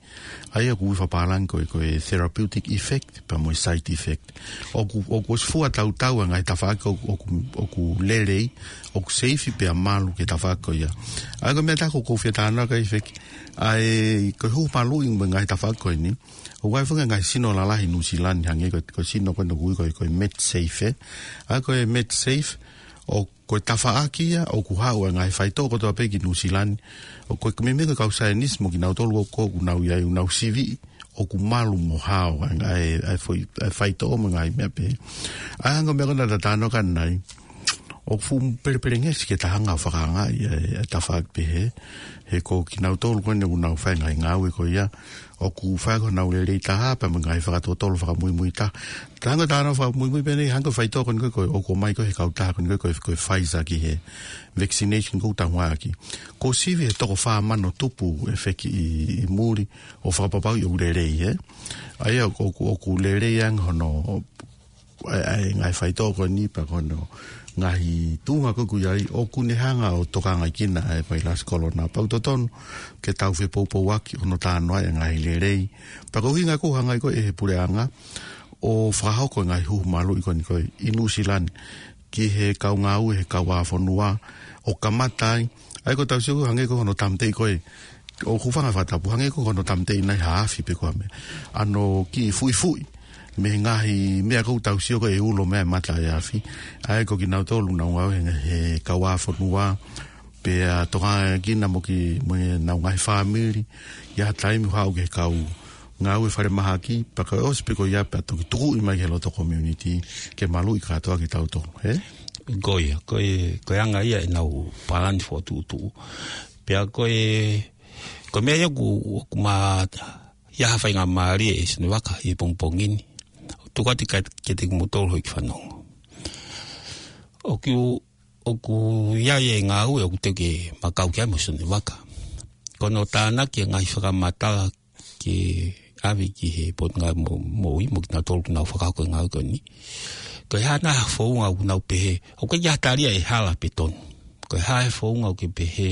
ʻa ia ʻoku ui fakapālangi ko e, ko e therapeutic effect, pea mo e side effect. ʻOku, ʻoku ʻosi fua tautau e ngaahi tafaʻaki ʻoku, ʻoku, ʻoku lelei, ʻoku seifi pea malu ki he tafaʻaki ko ia. ʻA ia ko e meʻa ʻe taha ʻoku ou fie talanoa ki ai feki. ʻA e, ko e huhu maluʻi mo e ngaahi tafaʻaki ko eni. ʻOku ʻi ai foki e ngaahi sino lalahi ʻi Nuʻu Sila ni hangē ko e, ko e sino ko ē ʻoku ui ko e, ko e MedSafe, ē. ʻA ia ko e MedSafe, ʻo ko e tafaʻaki ia ʻoku haʻu e ngaahi faitoʻo kotoa pē ki Nuʻu Sila ni. ʻO ko e meimei ko e kau saienisi mo kinautolu ʻoku, ʻoku nau ʻi ai ʻoku nau siviʻi ʻoku malu mo hao ʻa e, ʻa e, ʻa e foʻi, ʻa e faitoʻo mo e ngaahi meʻa pehē. ʻA ia hangē ko e meʻa ko ē naʻa ta talanoa ki ai ʻanenai, ʻoku fuʻu pelepelengesi ke ta hanga ʻo fakaangaʻi ʻa e, ʻa e tafaʻaki pehē. He ko kinautolu ko eni ʻoku nau fai e ngaahi ngāue ko ia, ʻoku fai ko honau lelei taha pea mo e ngaahi fakatotolo fakamuimui taha. Ka hangē ko e talanoa fakamuimui pē ʻanenai, hangē ko e faitoʻo ko eni ko ē ʻoku ʻomai ko ē ʻe he kautaha ko eni ko ē ko e, ko e Pfizer ki he vaccination ʻoku tau ngāueʻaki. Kuo sivi he toko fā mano tupu ʻe feki ʻi, ʻi muli ʻo fakapapauʻi ʻoku lelei, ē. ʻA ia ʻoku, ʻoku lelei ange hono ʻa e, ʻa e ngaahi faitoʻo ko eni pea ko hono ngaahi tuʻunga ko ē ʻoku ʻi ai ʻoku ne hanga ʻo tokangaʻi kinautolu ʻe he vailasi kolona. Pea ʻoku totonu ke tau fepoupouaki hono talanoaʻi e ngaahi lelei. Pea ko e ʻuhinga ʻoku hanga ai ko ē ʻe he puleʻanga ʻo fakahoko e ngaahi huhu maluʻi ko eni ko ē ʻi Nuʻu Sila ni ki he kau ngāue he kauʻāfonua ʻo kamata ai. ʻA ia ko ʻetau sio ko ē hangē ko hono tāmateʻi ko ē ʻoku ou fanga fakatapu hangē ko hono tāmateʻi ʻanenai ha afi pe ko ha meʻa. ʻA hono kiʻi fuʻifuʻi mei he ngaahi meʻa ʻoku tau sio ko ē ʻe ulo mei ai e mata ʻa e afi. ʻA ia ko kinautolu ʻoku nau ngāue he, he kauʻāfonua, pea tokangaʻi kinautolu mo ki, mo ʻenau ngaahi fāmili, ʻi ha taimi ʻoku haʻu ki he kau ngāue falemahaki, pea ka ʻosi pē ko ia pea toki tukuʻi mai ki he loto community, ke maluʻi kātoa kitautolu, ē? Ko ia, ko e, ko e anga ia ʻenau palani fokotuʻutuʻu. Pea ko e, ko e meʻa ia ʻoku, ʻoku ma ia ha faingamālie ʻe Sione Vaka ʻi he pongipongi ni. Tuku atu kiate kimoutolu hoʻo kiʻi fanongo. ʻOku, ʻoku ʻi ai e ngāue ʻoku teu ke ma kau ki ai mo Sione Vaka. Ko hono tānaki e ngaahi fakamatala ke ʻave ki he Potungāue Mo-, Moʻui mo kinautolu ʻoku nau fakahoko e ngāue ko eni. Ko e hā nai ha founga ʻoku nau pehē, ʻoku ʻikai ha tali ia ʻe hala pe tonu. Ko e hā e founga ʻoku ke pehē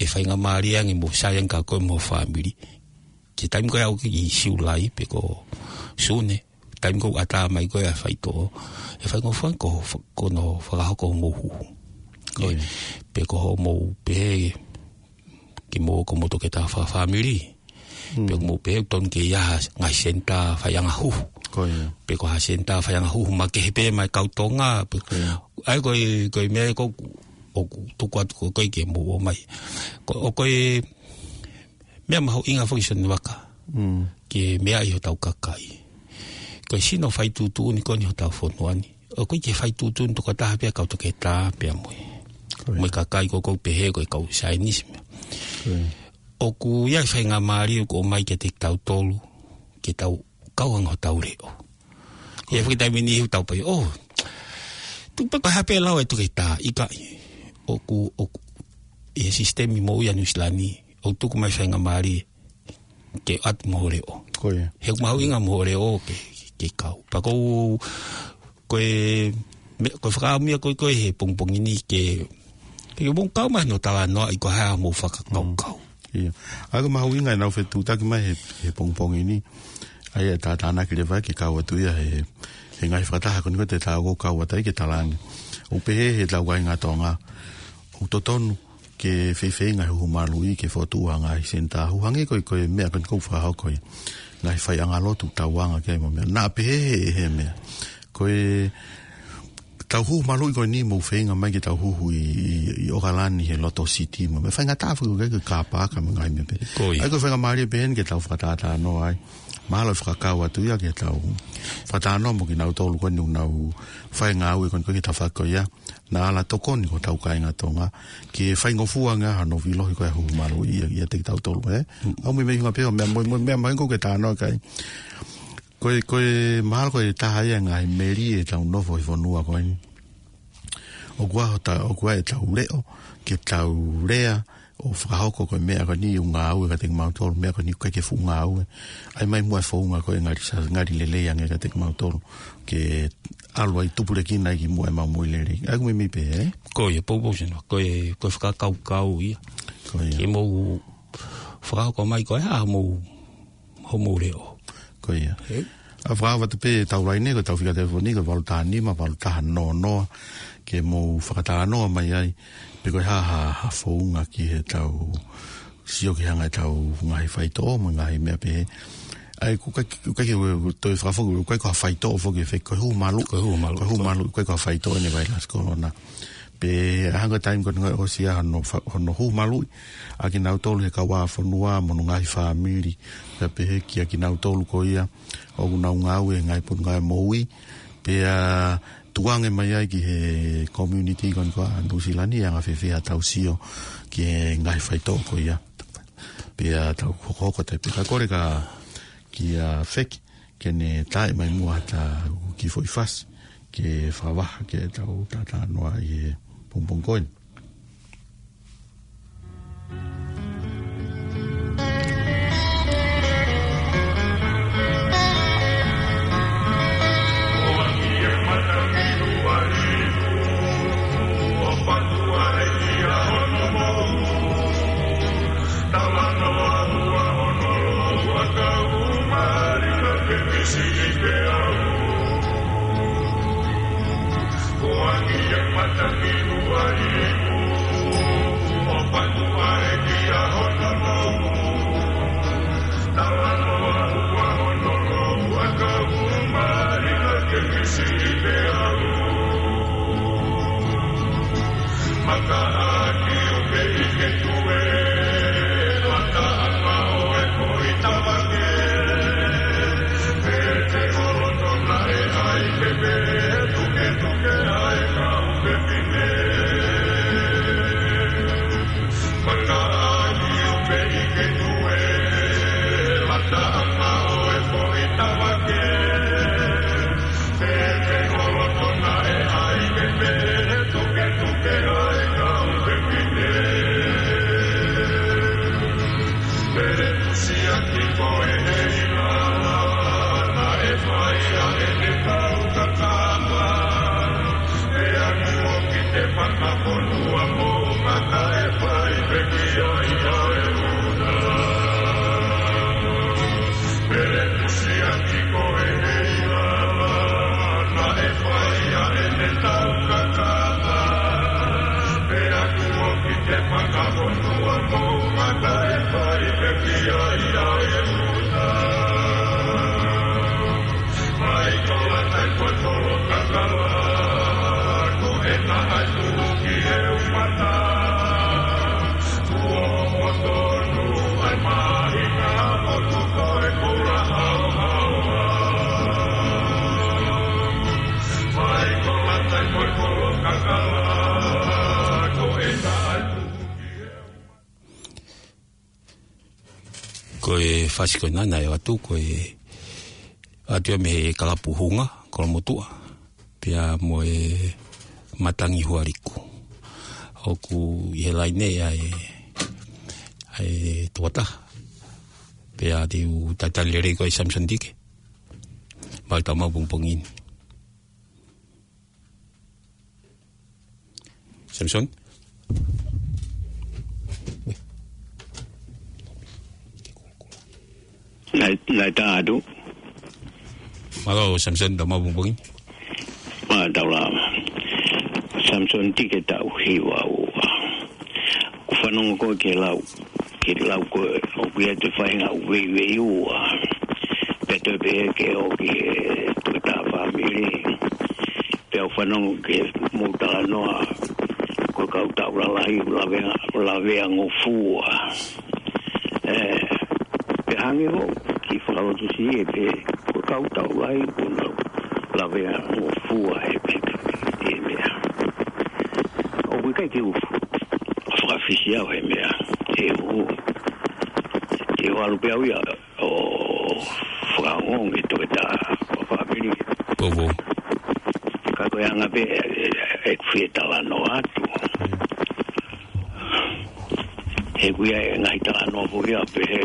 ʻe faingamālie ange mo sai ange kia koe mo ho fāmili. Ki he taimi ko ē ʻoku ʻi Siulai pe ko Sune, taimi ko ē ʻoku ʻatā mai ko ē ʻa e faitoʻo, ʻe faingofua ange ko ho fa-, ko hono fakahoko hoʻomou huhu. Ko ia. Pe ko hoʻomou pehē, ke mou, ko hoʻomou toketā fakafāmili. Mm. Pe ko hoʻomou pehē ʻoku tonu ke ʻi ai ha ngaahi senitā faiʻanga huhu. Ko ia. Pe ko ha senitā faiʻanga huhu makehe pē maʻa e kau Tonga. Pe ko ia. ʻA ia ko e, ko e meʻa ko ē ʻoku tuku atu ko ē ke mou ō mai. Ko, ʻoku ko e meʻa mahuʻinga foki Sione Vaka. Mm. Ke meaʻi hotau kakai. Ko e sino fai tuʻutuʻuni ko eni hotau fonua ni. ʻOku ʻikai ke fai tuʻutuʻuni tokotaha pē ʻa e kau toketā pea mo e. Ko ia. Mo e kakai ko ē ʻoku pehē ko e kau saienisi mo e meʻa. Ko ia. ʻOku ʻi ai e faingamālie ʻoku ʻomai kiate kitautolu, ke tau kau ange hotau leʻo. Ko ia. ʻI he foʻi taimi ni ʻoku tau pehē, ʻo, tuku pē ko e hā pē lau ʻa e toketā, ʻikai. ʻOku, ʻoku, ʻi he sisitemi moʻui ʻa Nuʻusila ni, ʻoku tuku mai faingamālie ke ʻoatu mo ho leʻo. Ko ia. He ʻoku mahuʻinga mo ho leʻo ke, ke kau. Pea ko u, ko e, me, ko e fakaʻamu ia ko ē ko ē he pongipongi ni ke, ke mou kau mai ʻo talanoaʻi ko e hā hoʻomou fakakaukau. Mm. Ia. ʻA ia ko e mahuʻinga ʻenau fetuʻutaki mai he, he pongipongi ni. ʻA ia ʻe tātānaki leva ke kau atu ia he, he ngaahi fakataha ko eni ko ē te tau kau atu ai ke talaange. ʻOku pehē he tau kāinga Tonga. ʻOku totonu ke feifeinga e huhu maluʻi ke fokotuʻu ha ngaahi senitā huhu hangē ko e, ko e meʻa ko eni ʻoku fakahoko ia. Ngaahi faiʻanga lotu tauanga ke mo e meʻa. Naʻa pehē he, he meʻa. Ko e tau huhu maluʻi ko eni mou feinga mai ke tau huhu ʻi, ʻi, ʻi ʻOkalani he loto siti mo e meʻa. Faingataʻa foki ko e kāpaka mo e ngaahi meʻa pehē. Ko ia. ʻA ia ko e faingamālie pē eni ke tau fakatātā noa ai. Mahalo ʻe fakakau atu ia ke tau fakatātā noa mo kinautolu ko eni ʻoku nau fai e ngāue ko eni ko ē ki he tafaʻaki ko ia. Naʻa ala tokoni ko hotau kāinga Tonga ke faingofua ange hano vilohi ko e huhu maluʻi ia, ʻiate kitautolu, ē? Mm. ʻOku meimei ʻuhinga pē ia ʻo e meʻa, mo, mo e meʻa mahuʻinga ʻoku ke talanoa ki ai. Ko e, ko e mahalo ko e taha ia e ngaahi melie ʻetau nofo he fonua ko eni. ʻOku ʻi ai hota, ʻoku ʻi ai ʻetau leʻo, ke tau lea, ʻo fakahoko ko e meʻa ko eni ʻoku ngāue kiate kimautolu, meʻa ko eni ʻoku ʻikai ke fuʻu ngāue. ʻAi mai muʻa e founga ko ē ngali sa, ngali lelei ange kiate kimautolu. Ke ʻalu ai tupulekina ai ki muʻa ʻemau moʻui lelei. ʻA ia ʻoku meimei pē, ē? Ko ia, poupou sino. Ko e, ko e fakakaukau ia. Ko ia. Ke mou fakahoko mai ko e hā hoʻomou, hoʻomou leʻo. Ko ia. Ē? ʻA ia fakaava atu pē ʻetau laine, ko ʻetau fika telefoni, ko e valu taha nima, valu taha noa noa, ke mou fakatalanoa mai ai, pe ko e hā ha, ha founga ki heʻetau sio ki he anga ʻetau ngaahi faitoʻo, mo e ngaahi meʻa pehē. ʻA ia, ʻoku ʻikai, ʻoku ʻikai ke toe fakafoki, ʻoku ʻikai ko ha faitoʻo foki ē, ko e huhu maluʻi. Ko e huhu maluʻi. Ko e huhu maluʻi, ʻoku ʻikai ko ha faitoʻo eni e vailasi kolona. Pea hangē ko e taimi ko eni ʻosi ia hono fa-, hono huhu maluʻi ʻa kinautolu he kauʻāfonua mo hono ngaahi fāmili. Pea pehē kia kinautolu ko ia ʻoku nau ngāue he ngaahi pononga e moʻui. Pea tukuange mai ai ki he community ko eni ko ē ʻa Nuʻusila ni, anga fēfē haʻatau sio ki he ngaahi faitoʻo ko ia. Pea tau hokohoko atu pē ka kole ka kia Feki ke ne tae mai muʻa hata kiʻi foʻi fasi ke fakavaha ke tau tātā noa ʻi he pongipongi ko eni. Ko e fasi ko ena naʻe ʻoatu, ko e ʻoatu ia mei he kalapu Hunga, Kolomotuʻa, pea mo e Matangi Hualiku. ʻoku ʻi he laine ʻa e, ʻa e tokotaha. Pea te u talitali lelei koe Samson Tike. Mau tau mau pongipongi ni. Samson? Naʻe, naʻe tā atu. Mālō, Samson, tau mau pongipongi. Mā tau lava. Samson Tike, taʻu hiva ua. ʻOku fanongo ko ē ki he lau, ki he lau ko ē, ʻoku ʻi ai e faʻahinga ʻū veiveiua. Pea toe pehē ki he ʻoku ʻi he tokotaha fāmili. Pea u fanongo ki he mou talanoa, ko e kau taʻu lalahi, lavea, lavea ngofua. Ē, pea hangē ko e kiʻi fakalotosiʻi ē pē, ko e kau taʻu lahi, ko e lavea ngofua ē pē, ē meʻa. ʻOku ʻikai ke u fakafisi au he meʻa, he u, he u ʻalu pē au ia ʻo fakaongo ki he tokotaha fāmili. Poupou. Ka ko e anga pē ē, ē, ē, ʻeku fie talanoa atu. He ʻoku ʻi ai e ngaahi talanoa foki ia pehē,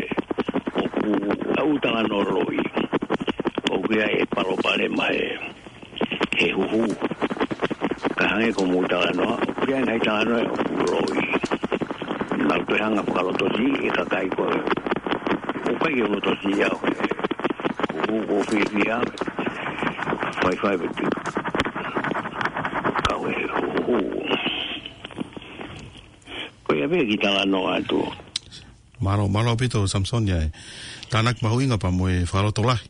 ʻoku ʻi ai e talanoa loi. ʻOku ʻi ai e palopalema ē he huhu. Ka hangē ko e mou talanoa, ʻoku ʻi ai e ngaahi talanoa ʻoku loi. Naʻa ku toe hanga fakalotosiʻi e kakai ko ē. ʻOku ʻikai ke u lotosiʻi au he huhu, ʻoku ou fiefia. Faifai pē te u kau he huhu. Ko ia pē e kiʻi talanoa atu. Mālō, mālō ʻaupito Samson ia e tānaki mahuʻinga pea mo e fakalotolahi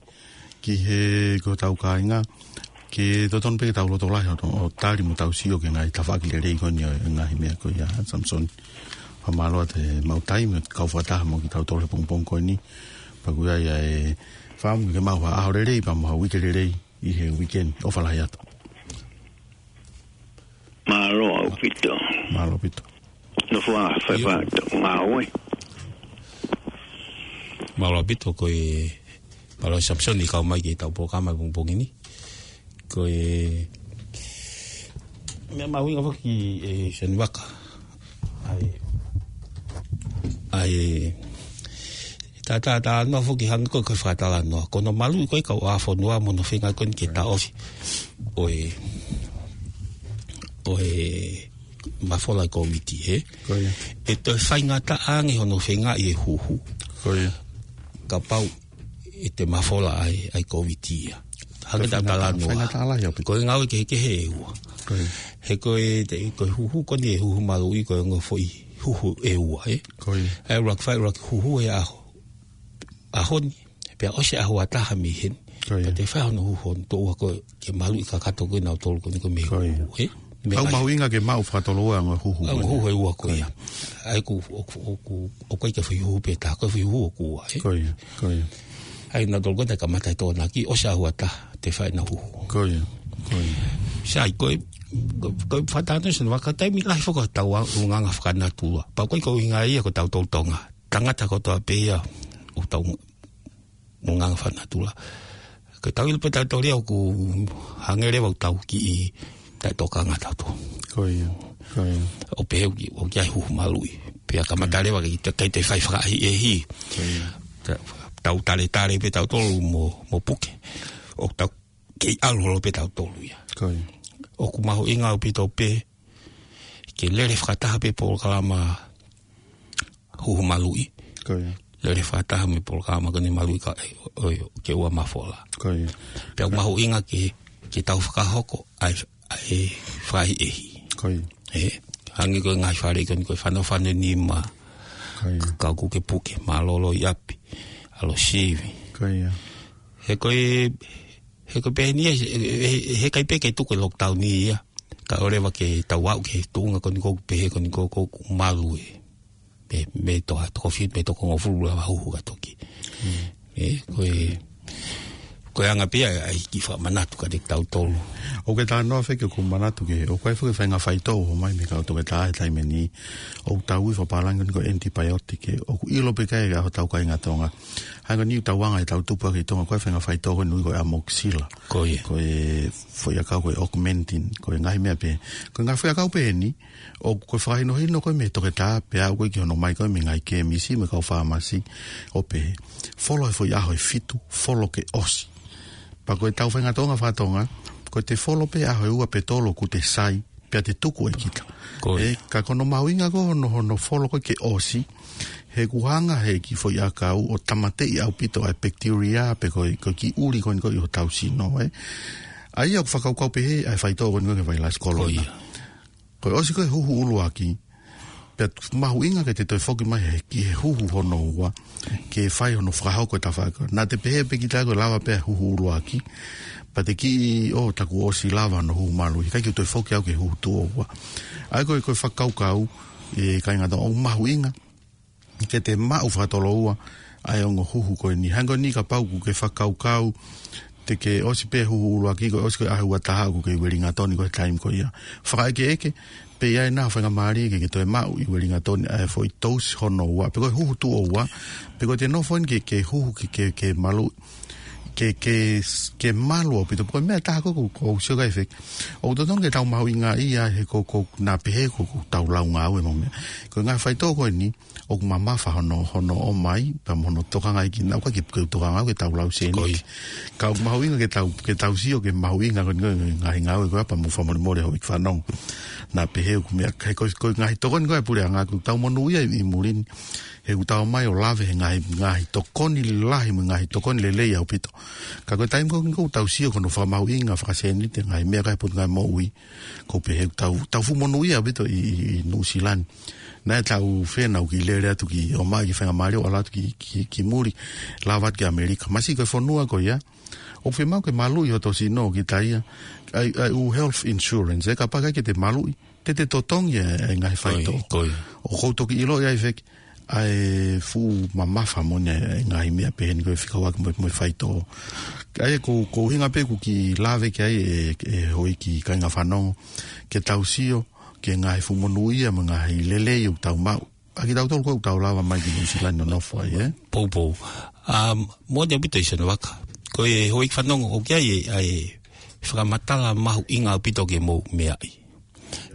ki he, ko hotau kāinga, ke totonu pē ke tau lotolahi ʻo, ʻo tali mo tau sio ki he ngaahi tafaʻaki lelei ko eni ʻo e ngaahi meʻa ko ia, Samson. Fakamālō atu e mau taimi ʻo kau fakataha mo kitautolu he pongipongi ko eni. Pea ʻoku ʻi ai e fakaʻamu ke mau ha ʻaho lelei pea mo ha uike lelei ʻi he uike ni. ʻOfa lahi atu. Mālō ʻaupito. Mālō ʻaupito. Nofo ā, fai ʻIo. Pē ʻetau ngāue. Mālō ʻaupito, ko e, mālō Samson ʻi he kau mai ki heʻetau polokalama pongipongi ni. Ko e meʻa mahuʻinga foki ē Sione Vaka. ʻA e, ʻa e, tā, tā, talanoa foki hangē ko e, ko e fakatalanoa. Ko hono maluʻi ko ē e kau ʻā fonua mo hono feinga ko eni ke taʻofi ʻo e, ʻo e mafola ʻa e Kōviti, ē? Ko ia. ʻE toe faingataʻa ange hono feingaʻi e huhu. Ko ia. Kapau ʻe toe mafola ai, ʻa e Kōviti ia. Hangē ko e tā faingataʻa, talanoa. Faingataʻa lahi ʻaupito. Ko e ngāue kehekehe ʻe ua. Ko ia. He ko e, te, ko e huhu ko eni e huhu maluʻi ko e ongo foʻi huhu ʻe ua, ē? Ko ia. ʻE ʻuluaki fai, ʻuluaki huhu he ʻaho, ʻaho ni. Pea ʻosi e ʻaho ʻe taha mei heni. Ko ia. Pea toe fai hono huhu hono toʻua ko ē ke maluʻi kakato ko ē nautolu ko eni ko e meʻa huhu, ē? Ko ia. Meʻa ʻoku mahuʻinga ke maʻu fakatoloua e ongo huhu. Ongo huhu ʻe ua ko ia. ʻA ia ʻoku, ʻoku, ʻoku, ʻoku ʻikai ke fai huhu pē taha, ko e fai huhu ʻe ua, ē? Ko ia, ko ia. ʻA ia nautolu ko ē naʻe kamata e Tokonaki, ʻosi e ʻaho ʻe taha, toe fai ʻenau huhu. Ko ia, ko ia. Sai, ko e, ko e, ko e fakatātā Sione Vaka, taimi lahi foki ʻoku tau ʻulungaanga fakanatula. Pea ʻoku ʻikai ko e ʻuhinga ia ko tautolu Tonga. Tangata kotoa pē ia ʻoku tau ʻulungaanga fakanatula. Ko ʻetau ʻilo pē tautolu ia ʻoku hangē leva ʻoku tau kiʻi taʻetokanga tautolu. Ko ia, ko ia. ʻO pehē ʻoku, ʻoku ʻi ai e huhu maluʻi. Pea kamata leva ke, ke, ke toe fai fakaʻehiʻehi. Ko ia. Ta-, tau taletale pē tautolu mo, mo puke. ʻOku tau kei ʻalu holo pē tautolu ia. Ko ia. ʻOku mahuʻinga ʻaupito pē ke lele fakataha pē polokalama huhu maluʻi. Ko ia. Lele fakataha mo e polokalama ko eni maluʻi ka, ʻo, ʻo, ke ua mafola. Ko ia. Pea ʻoku mahuʻinga ke, ke tau fakahoko ʻa e, ʻa e fakaʻehiʻehi. Ko ia. Ē, hangē ko e ngaahi fale ko eni ko e Fanofano Nima. Ko ia. Ka ʻoku ke puke, mālōlō ʻi ʻapi, ʻalu ʻo sivi. Ko ia. He ko e, he ko e pehē ni ia, he, he, heʻikai pē ke tuku e lockdown ia. Kae ʻoua leva ke tau aʻu ki he tuʻunga ko eni ʻoku pehē ko eni ʻoku, ʻoku malu e, mei, mei he toko, toko fitu, mei he toko hongofulu lava huhu ka toki. Mm. Ē, ko e, Ko e anga pē ia ʻa e kiʻi fakamanatu kiate kitautolu. ʻOku ke talanoa feke ʻoku manatu ke, ʻoku ʻi ai foki e faʻahinga faitoʻo ʻoku ʻomai mei he kau toketā he taimi ni, ʻoku tau ui fakapālangi ko e antibiotic, ʻoku ʻilo pē ki ai ʻe hotau kāinga Tonga. Hangē ko eni ʻoku tau anga ʻetau tupu ʻaki ʻi Tonga, ko e faʻahinga faitoʻo ko eni ʻoku ui ko e amoxicillin. Ko ia. Ko e foʻi ʻakau ko e Augmentin, ko e ngaahi meʻa pē. Ko e ngaahi foʻi ʻakau pē eni, ʻoku ko e fakahinohino ko ē mei he toketā, pea aʻu ko ē ki hono ʻomai ko ē mei he ngaahi kēmisi, mei he kau fāmasi, ʻo pehē, folo he foʻi ʻaho ʻe fitu, folo ke ʻosi. Pea ko ʻetau faʻahinga Tonga faka-Tonga, ko ʻete folo pē ʻaho ʻe ua pe tolu ʻoku te sai, pea te tuku ʻe kita. Ko ia. Ē, ka ko hono mahuʻinga ko hono, hono folo ko ē ke ʻosi, he ʻoku hanga he kiʻi foʻi ʻakau ʻo tāmateʻi ʻaupito ʻa e bacteria, pe ko e, ko e kiʻi ʻuli ko eni ko ē ʻi hotau sino, ē. ʻA ia ʻoku fakakaukau pehē ʻa e faitoʻo ko eni ko ē ki he vailasi kolona. Ko ia. Ko e ʻosi ko ē huhu ʻuluaki, pea mahuʻinga ke te toe foki mai he, ki he huhu hono ua, ke fai hono fakahoko e tafaʻaki. Naʻa te pehē pē kita ko e lava pē huhu ʻuluaki, pea te kiʻi, ʻo, tā kuo ʻosi lava hono huhu malu, ʻikai ke toe foki au ki he huhu tuʻo ua. ʻA ia ko e, ko e fakakaukau, ē, kāinga Tonga, ʻoku mahuʻinga ke te maʻu fakatoloua ʻa e ongo huhu ko eni. Hangē ko eni kapau ʻoku ke fakakaukau te ke ʻosi pē huhu ʻuluaki, ko e ʻosi ko ē ʻaho ua taha ʻoku ke ʻi Uelingatoni ko e taimi ko ia. Fakaʻekeʻeke, pe ʻi ai nai ha faingamālie ke ke toe maʻu ʻi Uelingatoni ʻa e foʻi tousi hono ua, pe ko e huhu tuʻo ua, pe ko ʻete nofo eni ke, ke huhu ke, ke, ke malu, ke, ke, ke malu ʻaupito, pe ko e meʻa ʻe taha ko ē ʻoku, ʻoku ou sio ki ai feke. ʻOku totonu ke tau mahuʻingaʻia he ko, ko, naʻa pehē ko, ko ʻetau lau ngāue mo e meʻa. Ko e ngaahi faitoʻo ko eni, ʻoku mamafa hono, hono ʻomai, pea mo hono tokanga ʻi kinaua, ʻoku ʻikai ke u tokanga au ki heʻetau lau sēniti. Ko ia. Ka ʻoku mahuʻinga ke tau, ke tau sio ki he mahuʻinga ko eni ko e ngaahi ngāue ko ia pea mo e fakamolemole houʻeiki fanongo. Naʻa pehē ʻoku meʻa, he ko, ko e ngaahi tokoni ko ē ʻa e puleʻanga ʻoku tau monūʻia ʻi, ʻi muli ni. He ʻoku tau ō mai ʻo lave he ngaahi, ngaahi tokoni lahi mo e ngaahi tokoni lelei ʻaupito. Ka ko e taimi ko ē ʻoku tau sio ki hono fakamahuʻinga fakasēniti e ngaahi meʻa ko ē ʻa e Potungāue Moʻui, ʻoku ou pehē ʻoku tau, tau fuʻu monūʻia ʻaupito ʻi, ʻi, ʻi Nuʻusila ni. Naʻe tau fēnau ke lele atu ki ʻomai ki he faingamālie ʻo ʻalu atu ki, ki, ki muli, lava atu ki ʻAmelika. Mahalo ko e fonua ko ia ʻoku fiemaʻu ke maluʻi hoto sino ʻo kita ia, ʻa e, ʻa e ʻū health insurance, ē, kapau ʻikai ke te maluʻi, te te totongi e, e ngaahi faitoʻo. Ko ia, ko ia. ʻOku ou toki ʻiloʻi ai feke ʻa e fuʻu mamafa moʻoni e ngaahi meʻa pehē ni ko e fekauʻaki mo, mo e faitoʻo. ʻA ia ʻoku, ʻoku ou ʻuhinga pē ʻoku ou kiʻi lave ki ai e, e houʻeiki kāinga fanongo, ke tau sio ki he ngaahi fuʻu monūʻia mo e ngaahi lelei ʻoku tau maʻu ʻa kitautolu ko ē ʻoku tau lava mai ki Nuʻusila ni ʻo nofo ai, ē? Poupou. Um, moʻoni ʻaupito ʻi Sene Vaka. Ko e houʻeiki fanongo ʻoku ʻi ai e, ʻa e fakamatala mahuʻinga ʻaupito ke mou meaʻi.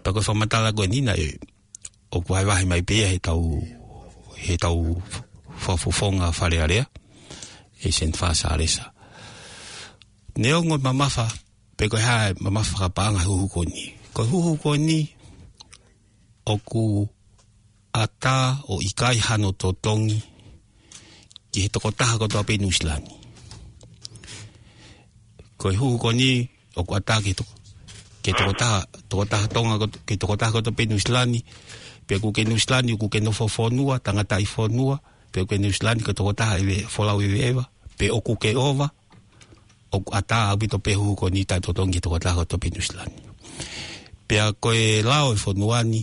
Pea ko e fakamatala ko eni naʻe ʻoku vahevahe mai pē ia heʻetau, heʻetau fakafofonga Fale Alea, ʻe Sene Fā Sālesa. Neongo e mamafa, pe ko e hā e mamafa fakapaʻanga he huhu ko eni. Ko e huhu ko eni, ʻoku ʻatā ʻo ʻikai hano totongi ki he tokotaha kotoa pē ʻi Nuʻusila ni. Ko e huhu ko eni, ʻoku ʻatā ki he toko-, ki he tokotaha, tokotaha Tonga koto-, ki he tokotaha kotoa pē ʻi Nuʻusila ni, pe ʻoku ke Nuʻusila ni, ʻoku ke nofo fonua, tangataʻi fonua, pe ʻoku ke Nuʻusila ni ko e tokotaha ʻeve-, folau ʻeveʻeva, pe ʻoku ke ʻova, ʻoku ʻatā ʻaupito pē huhu ko eni taʻetotongi ki he tokotaha kotoa pē ʻi Nuʻusila ni. Pea ko e lao e fonua ni,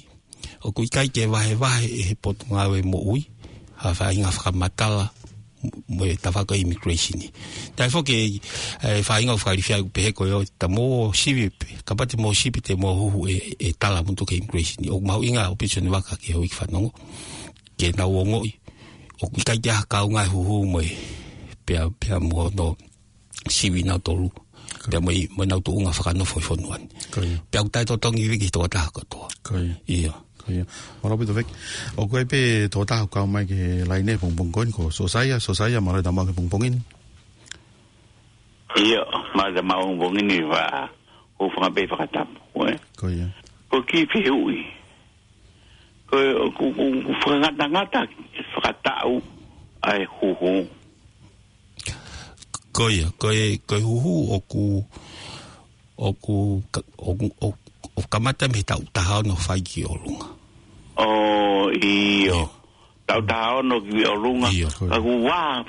ʻoku ʻikai ke vahevahe ʻe he Potungāue Moʻui ha faʻahinga fakamatala mo e tafaʻaki immigration ni. Taʻe foki e, e faʻahinga ʻoku fakalifia ʻoku pehē ko e ʻo ta mo sivi pe, kapau te mo sivi te mo huhu e, e tala mutu ki he immigration ni. ʻOku mahuʻinga ʻaupito Sene Vaka ki he houʻeiki fanongo ke nau ongoʻi ʻoku ʻikai ke ʻi ai ha kaunga e huhu mo e pea, pea mo hono sivi nautolu. Pea mo e, mo ʻenau tuʻunga fakanofo ʻi fonua ni. Ko ia. Pea ʻoku taʻetotongi ia ki he tokotaha kotoa. Ko ia. ʻIo. Ko ia. Mālō ʻaupito feke. ʻOku ʻi ai pē tokotaha ʻoku kau mai ki he laine he pongipongi ko eni ko Sosaia, Sosaia, mālō e tau maʻu ki he pongipongi ni. ʻIo, mālō e tau maʻu pongipongi ni, ʻoku ou fakaʻapaʻapa fakatapu, ē? Ko ia. Ko e kiʻi fehuʻi. Ko e, ʻoku, ʻoku, ʻoku fakangatangata fakataʻu ʻa e huhu. Ko ia, ko e, ko e huhu ʻoku, ʻoku ka-, ʻoku, ʻoku, ʻoku kamata mei he taʻu taha ono fai ki ʻolunga. ʻO, ʻio. ʻIo. Taʻu taha ono ki ʻolunga. ʻIo. Ka ʻoku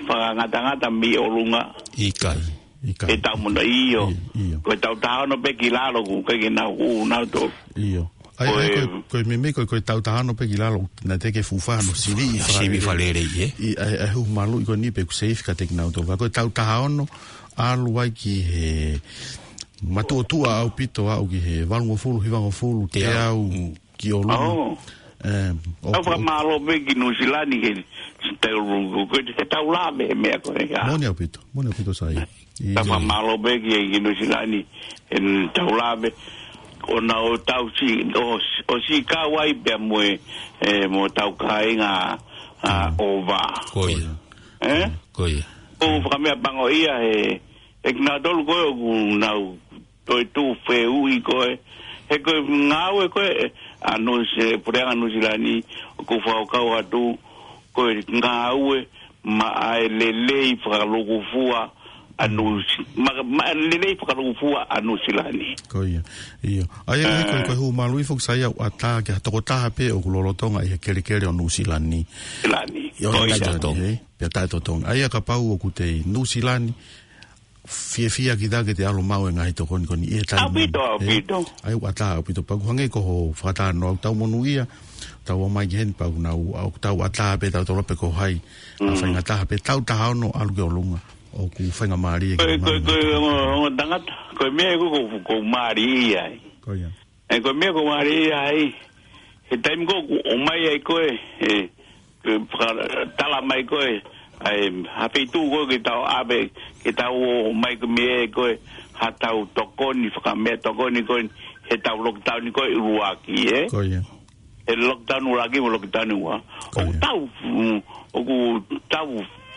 fakangatangata mei ʻolunga. ʻIkai. ʻIkai. He taʻu mono, ʻio. ʻIo, ʻio. Ko e taʻu taha ono pē ki lalo ʻoku ʻikai ke nau huhu nautolu. ʻIo. ʻAi, ʻai, ko e, ko e meimei ko e, ko e taʻu taha ono pē ki lalo, naʻe teʻeki ke fuʻu fai hano sivi ʻi Sivi fakalelei. Fakalelei, ē? ʻI, ʻai, ʻai, huhu maluʻi ko eni pē ʻoku safe kiate kinautolu. Ka ko e taʻu taha ono, ʻalu ai ki he matuʻotuʻa ʻaupito aʻu ki he valungofulu, hivangofulu, Teau. teau, Mm. ki ʻolunga. Oh. Em, ʻOku ʻoku fakamālō pē ki Nuʻusila ni ke tau, ko e tau lave he meʻa ko ē, ʻa. Moʻoni ʻaupito, moʻoni ʻaupito Saia. ʻIo. Tau fakamālō pē ki, ki Nuʻusila ni, ʻetau lave. ʻO nau tau si, ʻo, ʻo si kau ai pea mo e, e, mo tau kāinga, ʻa, Mm. ʻo vā. Ko ia. Ē? Ko ia. ʻOku fakameʻapango ia he, he kinautolu ko ē ʻoku nau toetuʻu fehuʻi ko ē. He ko e ngāue ko ē, ʻa Nuʻusi-, puleʻanga Nuʻusila ni, ʻoku fakakau atu, ko e ngāue maʻa e lelei fakalūkufua ʻa Nuʻusi-, ma-, maʻa e lelei fakalūkufua ʻa Nuʻusila ni. Ko ia, ʻio. ʻAi, ʻai, ko e, ʻA. ko e huhu maluʻi foki Saia ʻoku ʻatā ki ha tokotaha pē ʻoku lolotonga ʻi he kelekele ʻo Nuʻusila ni. Sila ni. ʻIo, Ko ia. taʻetotongi, ē? Pea taʻetotongi. ʻAi, kapau ʻoku te ʻi Nuʻusila ni, fiefia kita ke te ʻalu maʻu e ngaahi tokoni ko eni ʻi he taimi ni, ʻAupito, ē? ʻaupito. ʻAi, ʻoku ʻatā ʻaupito pea ʻoku hangē ko hoʻo fakatalanoa ʻoku tau monūʻia, tau ō mai ki heni pea ʻoku nau, ʻoku tau ʻatā pē tautolu pe ko hai, ʻa Mm. faingataha pē taʻu taha ono ʻalu ki ʻolunga, ʻoku faingamālie Ko e, ki ko e, ko e, ngaahi ongo, ongo tangata, ko e meʻa ko, ko, ʻoku mālie ai. Ko ia. ʻE, ko e meʻa ʻoku mālie ai, he taimi ko ē ʻoku ʻomai ai ko ē, ē, ke fakatala mai ko ē, ʻa e, ha feituʻu ko ē ke tau ʻave, ke tau ō mai ko e meʻa ko ē, ha tau tokoni, fakameʻatokoni ko ē, he tau lockdown ko ē ʻuluaki, ē? Ko ia. He lockdown ʻuluaki mo lockdown ua. Ko ia. ʻOku tau, mm, ʻoku tau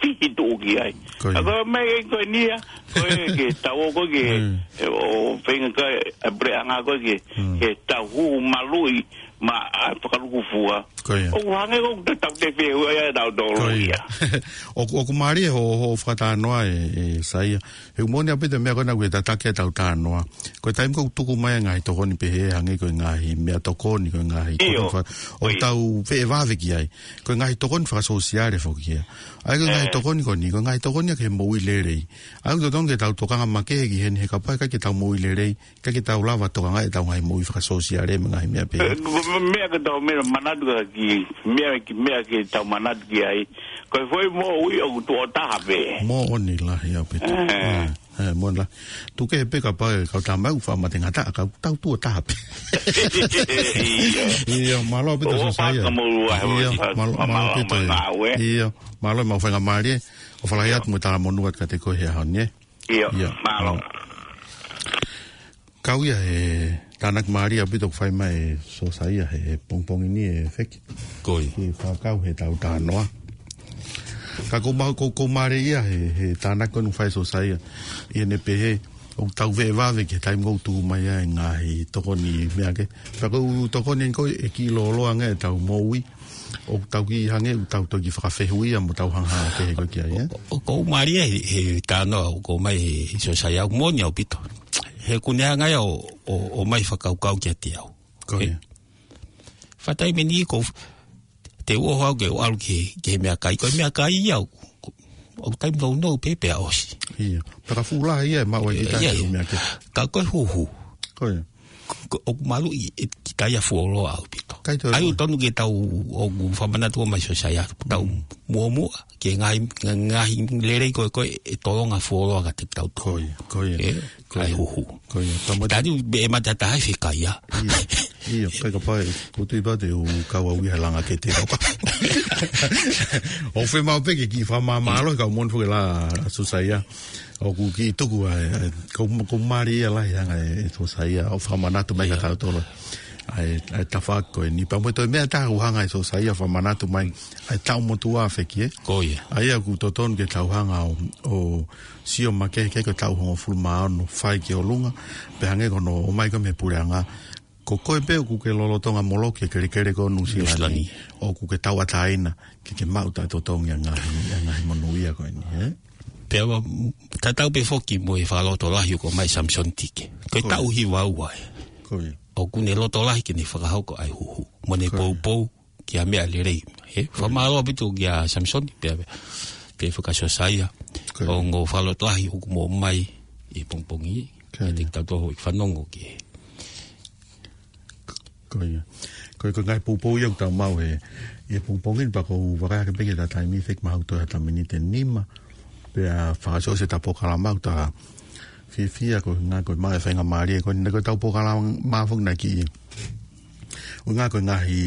fihi tuʻu ki ai. Ko ia. ʻA ko e meʻa ko eni ia, ko e ke tau ō ko ē ke, Mm. ē, ʻo feinga ko ē, ʻa e puleʻanga ko ē ke, Mm. ke tau huhu maluʻi maʻa e fakalūkufua. Ko ia. ʻOku hangē ko ē ʻoku tau te fehuʻia ʻe tautolu Ko ia. ia. ʻOku, ʻoku mālie hoʻo, hoʻo fakatalanoa ē, ē Saia. He ʻoku moʻoni ʻaupito e meʻa ko ena ʻoku tataki ʻetau talanoa. Ko e taimi ko ē ʻoku tuku mai e ngaahi tokoni pehē hangē ko e ngaahi meʻatokoni, ko e ngaahi ʻIo. tokoni fa-, ʻoku ʻIo. tau feʻe vave ki ai. Ko e ngaahi tokoni fakasōsiale foki ia. ʻAi ko e ngaahi ʻE. tokoni ko eni, ko e ngaahi tokoni ia ki he moʻui lelei. ʻAi ʻoku totonu ke tau tokanga makehe ki heni he kapau ʻe ʻikai ke tau moʻui lelei, ʻikai ke tau lava tokangaʻi ʻetau ngaahi moʻui fakasōsiale mo e ngaahi meʻa pehē. ʻE, ko e meʻa ke tau meʻa manatu ki, meʻa ki, meʻa ke tau manatu ki ai. Ko e foʻi moʻui ʻoku tuʻo taha pē. Moʻoni lahi ʻaupito. ʻE. ʻE, ʻe, moʻoni lahi. Tuku kehe pē kapau ʻe kau tama ʻoku faʻa mate ngata, ka tau tuʻo taha pē. ʻIo. ʻIo, mālō ʻaupito ʻOku Sōsaia. fakamoʻua he ʻIo, ʻoku mālō, mālō mālō ʻaupito mo e. ngāue. ʻIo, mālō e mau faingamālie. ʻOfa lahi atu mo e talamonū atu kiate koe he ʻaho ni, ē? ʻIo, ʻIo, mālō. mālō. Kau ia he tānaki mālie ʻaupito ʻoku fai mai ʻe Sōsaia he, he pongipongi ni ʻe Feki. Ko ia. Ke fakakau he taʻu taha noa. Ka ʻoku mau, ʻoku, ʻoku mālie ia he, he tānaki ko eni ʻoku fai ʻe Sōsaia. ʻI heʻene pehē, ʻoku tau feʻe vave ki he taimi ʻoku tuku mai ai e ngaahi tokoni meʻa kehe. Pea ko e tokoni ko ē ʻe kiʻi lōloa ange ʻetau moʻui. ʻOku tau kiʻi hangē, ʻoku tau toki fakafehuʻia mo tau hanga kehe ko ē ki ai, ē? ʻO, ʻoku mālie he, he talanoa ʻoku ʻomai ʻe Sōsaia ʻoku moʻoni ʻaupito. He ʻoku ne hanga ia ʻo, ʻo, ʻo ʻomai fakakaukau kiate au. Ko ia. He, fakataimi ni ko, te u ʻoho au ke u ʻalu ki, ki he meʻakai. Ko e meʻakai ia ʻoku, ʻoku taimi nounou pē pea ʻosi. ʻIo. Pea ka fuʻu lahi ia ʻe maʻu ai kita ʻIo, ke ʻio. meʻa kehe. Ka ko e huhu. Ko ia. Ko, ʻoku maluʻi ʻe kita ia fuoloa ʻaupito. ʻIkai toe ʻAi ʻoku tonu ke tau ʻoku fakamanatu ʻomai ʻe Sōsaia. Tau Mm. muʻomuʻa, ke ngaahi, ngaahi lelei ko ē, ko ē ʻe tolonga fuoloa kiate kitautolu. Ko ia, ko ia. ʻE, Ko ia. ʻAi huhu. Ko ia. Tama Tadi be e mata taha ʻe fekaia. ʻIo, ʻio, kai kapau ʻe, ko tui pau te u kau au ia he langa kete kau ka. ʻOku fiemaʻu pē ke kiʻi fakamāmālohi kau moʻoni foki la Sōsaia. ʻOku kiʻi tuku ai, ai, ko, ko mālie ia lahi hanga ʻe, ʻe Sōsaia, ʻo fakamanatu mai ʻIo. kiate kitautolu. ʻAi, ʻai tafaʻaki ko eni. Pea mo e toe meʻa ʻe taha ʻoku hanga ʻe Sōsaia ʻo fakamanatu mai. ʻAi taʻu motuʻa Feki ē. Ko ia. ʻAi ʻoku totonu ke tau hanga ʻo, ʻo sio makehe ki he taʻu hongofulu mā ono fai ki ʻolunga. Pea hangē ko hono ʻomai ko ē mei he puleʻanga. Ko koe pē ʻoku ke lolotonga moloki he kelekele ko ē ʻo Nuʻusila ni. Nuʻusila ni. ʻOku ke tauʻatāina, ke ke maʻu taʻetotongi ʻa e ngaahi, ʻa e ngaahi monūʻia ko eni, ē? Pea ʻoku tatau pē foki mo e fakalotolahi ʻoku ʻomai ʻe Samisoni Tike. Ko e Ko ia. taʻu hiva ua ē. Ko ia. ʻOku ne lotolahi ke ne fakahoko ʻa e huhu. Mo ne Ko ia. poupou ki ha meʻa lelei. Ē, Ko ia. fakamālō ʻaupito kia Samisoni, pea, pea, pea kia Sōsaia. Ko ia. ʻOku fakalotolahi ʻoku mou ʻomai ʻi he pongipongi. Ko ia. Kiate kitautolu ʻoku fanongo ki he Ko Ko ia. Ko e, ko e ngaahi poupou ia ʻoku tau maʻu he, ʻi he pongipongi ni pea ʻoku ou vakai hake pē ki heʻeta taimi, feki mahalo toe ha miniti ʻe nima. Pea fakaʻosi ʻeta polokalama ʻoku ta fiefia ko e ngaahi, ko e maʻu e faingamālie ko eni, ko ʻetau polokalama foki naʻe kiʻi. ʻUhinga ko e ngaahi,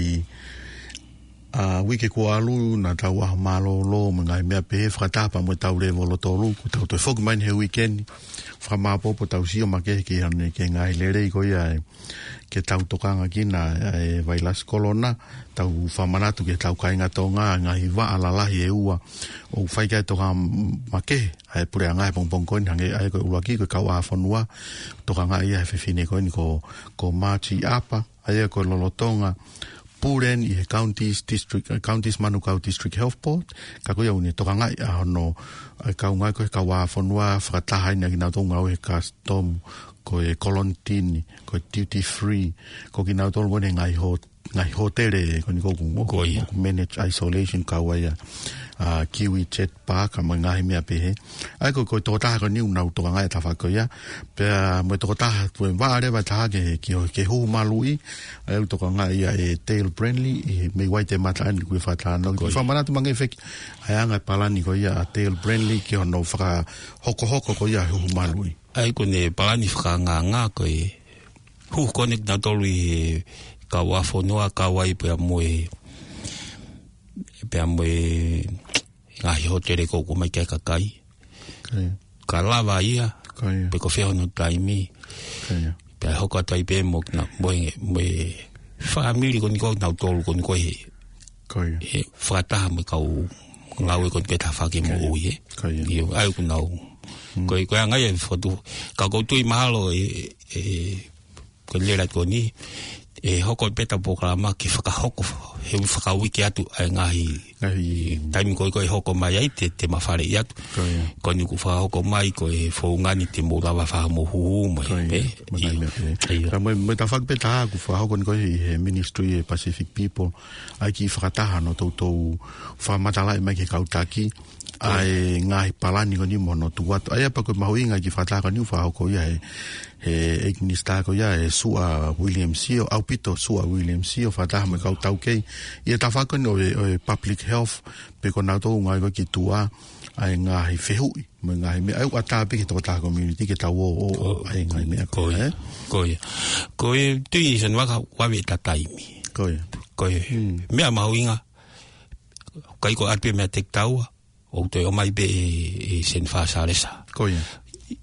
ʻa, uike kuo ʻalu naʻa tau ʻaho mālōlō mo e ngaahi meʻa pehē fakataha pea mo ʻetau lēvolo tolu, kuo tau toe foki mai eni he uike ni. Fakamāopoopo ʻetau sio makehe ki hano, ki he ngaahi lelei ko ia ʻe ke tau tokanga ki ai ʻa e vailasi kolona, tau fakamanatu ki heʻetau kāinga Tonga, ngaahi vaʻa lalahi ʻe ua, ʻoku fai ki ai e tokanga makehe ʻa e puleʻanga he pongipongi ko eni, hangē ʻa e ko e ʻuluaki ko e kauʻāfonua, tokangaʻi ia he fefine ko eni ko, ko Marty Apa, ʻa ia ko e lolotonga pule eni ʻi he Counties District, eh, Counties Manukau District Health Board, ka ko ia ʻoku ne tokangaʻi ʻa hono, ʻa e kaungā ko e kauʻāfonua, fakataha eni ʻa kinautolu ngāue he custom, ko e kolonitini, ko e duty free, ko kinautolu ko eni ngaahi hō-, ngaahi hōtele, ko eni ko ʻoku, Ko ia. ʻoku manage isolation kau ai ʻa, ʻa Kiwi Jet Park, mo e ngaahi meʻa pehē. ʻA ia ko, ko e tokotaha ko eni ʻoku nau tokangaʻi e tafaʻaki ko ia. Pea mo e tokotaha, ko e vaʻa leva ʻe taha ke, ke, ke huhu maluʻi, ʻa ia ʻoku tokangaʻi ia ʻe Dale Brenly, ʻi he mei Waitemata eni kuo fakatalanoa. Ko ia. Fakamanatu mai ange feki, ʻa e anga e palani ko ia ʻa Dale Brenly ki hono fakahokohoko ko ia huhu maluʻi. ʻA ia ko ʻene palani fakaangaanga ko e huhu ko eni kinautolu ʻi he kauʻāfonua, kau ai pea mo e, pea mo e ngaahi hōtele ko ē ʻoku ʻomai ki ai e kakai. Ko ia. Ka lava ia, Ko ia. pe ko e fē hono taimi. Ko ia. Pea hoko atu ai pē mo kina, mo e, mo e fāmili ko eni ko ē kinautolu ko eni ko ē he Ko ia. he fakataha mo e kau ngāue ko eni ke tafaʻaki mo Ko ia. ui, ē. Ko ia. ʻIo, ʻa ia ʻoku nau. Mm. Ko e, ko e anga ia e fotu. Ka ʻoku ou tui mahalo e, e, ko e lea ko eni, ʻe hoko pē ʻeta polokalama ke fakahoko, he ʻoku fakauike atu ʻa e ngaahi Ngaahi. taimi ko ē ʻe hoko mai ai te, te mafaleʻi atu. Ko ia. Ko eni ʻoku fakahoko mai ko e founga ni te mou lava fai homou huhu mai Ko ia. pē. Mo e ngaahi ʻIo. meʻa pē. ʻIo. Pea mo e, mo e tafaʻaki pē ʻe taha ʻoku fakahoko eni ko ē ʻi he Ministry ʻa e Pacific People, ʻa ia ke fakataha hono toutou fakamatalaʻi mai ki he kau taki, ʻa e ngaahi palani ko eni mo hono tuku atu. ʻA ia pea ko e mahuʻinga e kiʻi fakataha ko eni ʻoku fakahoko ia he, he ʻEiki Minisitā ko ia ʻe Suʻa William Sio, ʻaupito Suʻa William Sio, fakataha mo e kau taukei. ʻI he tafaʻaki ko eni ʻo e, ʻo e public health, pe ko kinautolu ngaahi ko ē ki tuʻa, ʻa e ngaahi fehuʻi, mo e ngaahi meʻa, ʻa ia ʻoku ʻatā pē ki he tokotaha community ke tau ō, ʻo, ʻo, Ko, ʻa e ngaahi meʻa ko ia, ē? ko ia. Ko e tui Seni Vaka ʻoku vave ʻeta taimi. Ko ia. Ko e Hmm. meʻa mahuʻinga, ʻikai ko e ʻatu pē meʻa tekitaua, ʻoku toe ʻomai pē ʻe, ʻe Seni Vaka Salesa. Ko ia.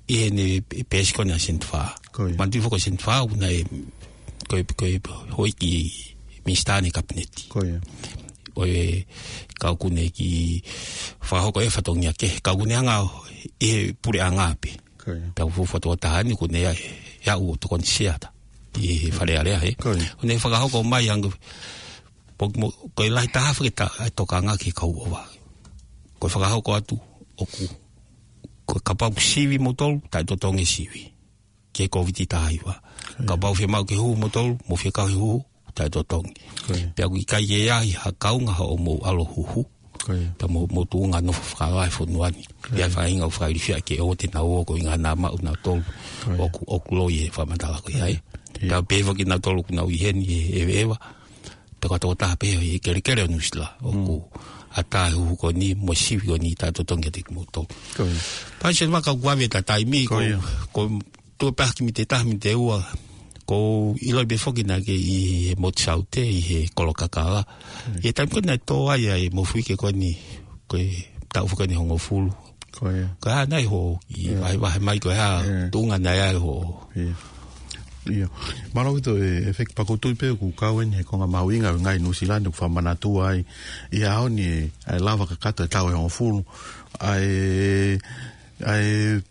ʻI heʻene peesi ko ena Seni Vaka. Ko ia. Manatuʻi foki ko Seni Vaka, ʻoku na e, ko e, ko e houʻeiki minisitā ʻi he kapineti. Ko ia. ʻO e kau ʻoku ne kiʻi fakahoko e fatongia kehe, kau ʻoku ne hanga ʻi he puleʻanga pē. Ko ia. Pea ʻoku fuofua tokotaha ni ʻoku ne ʻi ai, ʻe au ʻo tokoni siata ʻi he Fale Alea, ē. Ko ia. ʻOku ne fakahoko mai ange, po mo, ko e lahi taha feketa, ʻa e tokanga ki he kau ʻova. Ko e fakahoko atu, ʻoku, ko e kapau ʻoku sivi moutolu, taʻetotongi sivi. Ki he Kōviti taha hiva. Ko ia. Kapau fiemaʻu ke huhu moutolu, mou fie kau he huhu, taʻetotongi. Ko ia. Pea ʻoku ʻikai ke ʻi ai ha kaunga hoʻomou ʻalu ʻo huhu. Ko ia. Pea mou, mou tuʻunga nofo fakalahi fonua ni. Ko ia. ʻI ai e faʻahinga ʻoku fakailifia ke ō te nau ō ko e ʻuhinga naʻa maʻu nautolu. Ko ia. ʻOku, ʻoku loi e fakamatala ko ia, ē. Ia. Pea pehē foki kinautolu ʻoku nau ʻi heni he ʻeveʻeva. Pea ko e tokotaha pē ʻi he kelekele ʻo Nuʻusila. ʻOku Mm. ʻatā e huhu ko eni, mo e sivi ko eni taʻetotongi kiate kimoutolu. Ko ia. Pea Seni Vaka ʻoku vave ʻeta taimi Ko ko, ia. ko Tuʻo pē ha kiʻi miniti ʻe taha, miniti ʻe ua, ʻoku ou ʻiloʻi pē foki naʻa ke ʻi he Motu Saute, ʻi he Kolo Kakala. Hmm. ʻI he taimi ko ē naʻe tō ai ʻa e mofuike ko eni, ko e taʻu foki eni hongofulu. Ko ia. Ko e hā nai hoʻo kiʻi Ia. vahevahe mai ko e hā, Ia. tuʻunga naʻe ʻi ai hoʻo. Ia. Ia. Mālō ʻaupito e, ʻEiki, pea ʻoku ou tui pē ʻoku kau eni he konga mahuʻinga ʻo e ngaahi Nuʻusila ni ʻoku fakamanatu ai. ʻI he ʻaho ni ʻe, ʻe lava kakato e taʻu ʻe hongofulu. ʻA e, ʻa e,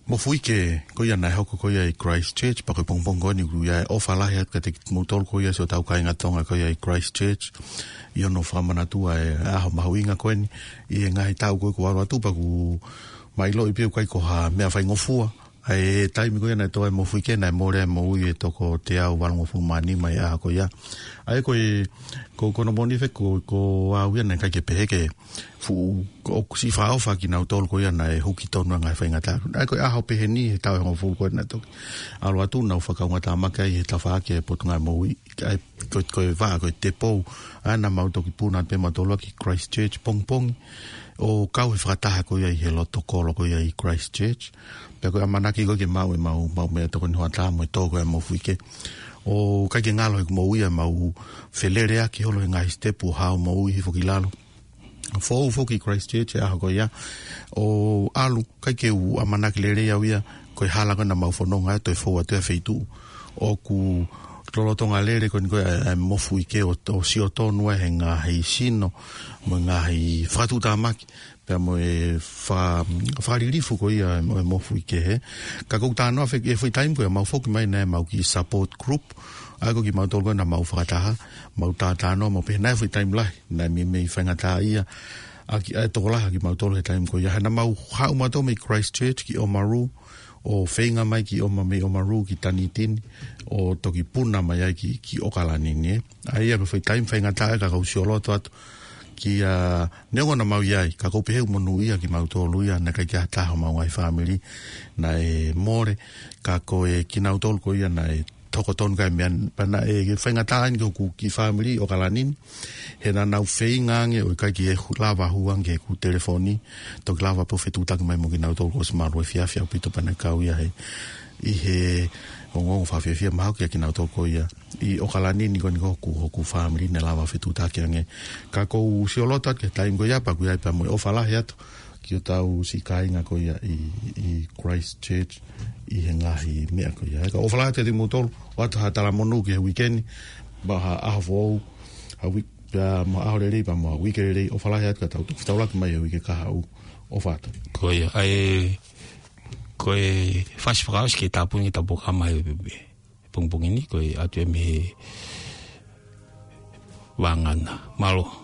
mofuike ko ia naʻe hoko ko ia ʻi Christchurch, pea ko e pongipongi ko eni ʻoku ʻi ai e ʻofa lahi atu kiate kimoutolu ko ia siʻotau kāinga Tonga ko ia ʻi Christchurch, ʻi hono fakamanatu ʻa e ʻaho mahuʻinga ko eni, ʻi he ngaahi taʻu ko ē kuo ʻalu atu pea ʻoku mau ʻiloʻi pē ʻoku ʻikai ko ha meʻa faingofua, ʻA e taimi ko ia naʻe tō ai e mofuike, naʻe mole ai e moʻui ʻa e toko teau valungofulu mā nima ʻi he ʻaho ko ia. ʻA ia ko e, ko, ko hono moʻoni Feki, ko, ko au ia naʻe ʻikai ke pehē ke fuʻu, ʻoku siʻi fakaʻofa kinautolu ko ia naʻe huki tonu ʻa e ngaahi faingataʻa. ʻA ia ko e ʻaho pehē ni he taʻu ʻe hongofulu ko ē naʻe toki ʻalu atu, naʻa ku fakaungatāmaki ai he tafaʻaki ʻa e Potungāue Moʻui, ʻa ia ko, ko e vaʻa, ko e tēpou, ʻa ia naʻa mau toki puna pē mautolu ki Christchurch pongipongi, ʻo kau he fakataha ko ia ʻi he loto kolo ko ia ʻi Christchurch. Pea ko e ʻamanaki ko ē ke maʻu ʻemau, mau meʻatokoni hoʻatā mo e tō ko ē ʻa e mofuike. ʻO ʻikai ke ngalo he kuo mau ia mau feleleʻaki holo he ngaahi sitepu ʻo haʻu moʻui hifo ki lalo. Fou foki Christchurch he ʻaho ko ia. ʻO ʻalu, ʻikai ke u ʻamanaki lelei au ia, ko e hala ko ē naʻa mau fononga ai, toe fou atu ia he feituʻu. ʻOku lolotonga lele ko eni ko ē ʻa e, ʻa e mofuike ʻo, ʻo sio tonu ai he ngaahi sino, mo e ngaahi fakatuʻutāmaki, pea mo e fa-, fakalilifu ko ia ʻo e mofuike hē. Ka ʻoku ou talanoa Feki, he foʻi taimi ko ia mau foki mai naʻe ʻemau kiʻi support group, ʻa ia ko kimautolu ko ē naʻa mau fakataha, mau talanoa, mau pehē naʻe foʻi taimi lahi naʻe meimei faingataʻaʻia ʻaki ʻa e tokolahi ʻa kimautolu he taimi ko ia. He naʻa mau haʻu mautolu mei Christchurch ki Oamaru, ʻo feinga mai ke ʻomai mei Oamaru ki Tanitini, ʻo toki puna mai ai ki, ki ʻOkalani ni. ʻA ia ko e foʻi taimi faingataʻa ka ʻoku ou sioloto atu ki ai, neongo naʻa mau ʻi ai, ka ʻoku ou pehē ʻoku monūʻia kimautolu ia, naʻe ʻikai ke ʻi ai ha taha homau ngaahi fāmili naʻe mole, ka ko e kinautolu ko ia naʻe tokoni tonu ki he meʻa, pea naʻe faingataʻa eni ki hoku kiʻi fāmili ʻi ʻOkalani ni, he naʻa nau feinga ange ʻo ʻikai ke hu-, lava hū ange ki heʻeku telefoni, toki lava pē ʻo fetuʻutaki mai mo kinautolu kuo ʻosi malu efiafi ʻaupito pea naʻe kau ia he, ʻi he ongoongo fakafiefia mahalo kia kinautolu ko ia ʻi ʻOkalani ni ko eni ko hoku, hoku fāmili naʻe lava fetuʻutaki ange. Ka ʻoku ou sioloto atu ki he taimi ko ia pea ʻoku ʻi ai pea mo e ʻofa lahi atu ki hotau siʻi kāinga ko ia ʻi, ʻi Christchurch ʻi he ngaahi meʻa ko ia. Ka ʻofa lahi atu kiate kimoutolu, ʻoatu ha talamonū ki he uike ni, mo ha ʻaho foʻou, ha uike, pea mo ha ʻaho lelei, pea mo ha uike lelei, ʻofa lahi atu ka tau toki fetaulaki mai he uike kahaʻu, ʻofa atu. Ko ia, ʻa e, ko e fasi fakaʻosi ke tāpuni ke tāpuakiʻi mai he, he pongipongi ni, ko e ʻatu ia mei he vāngana. Mālō.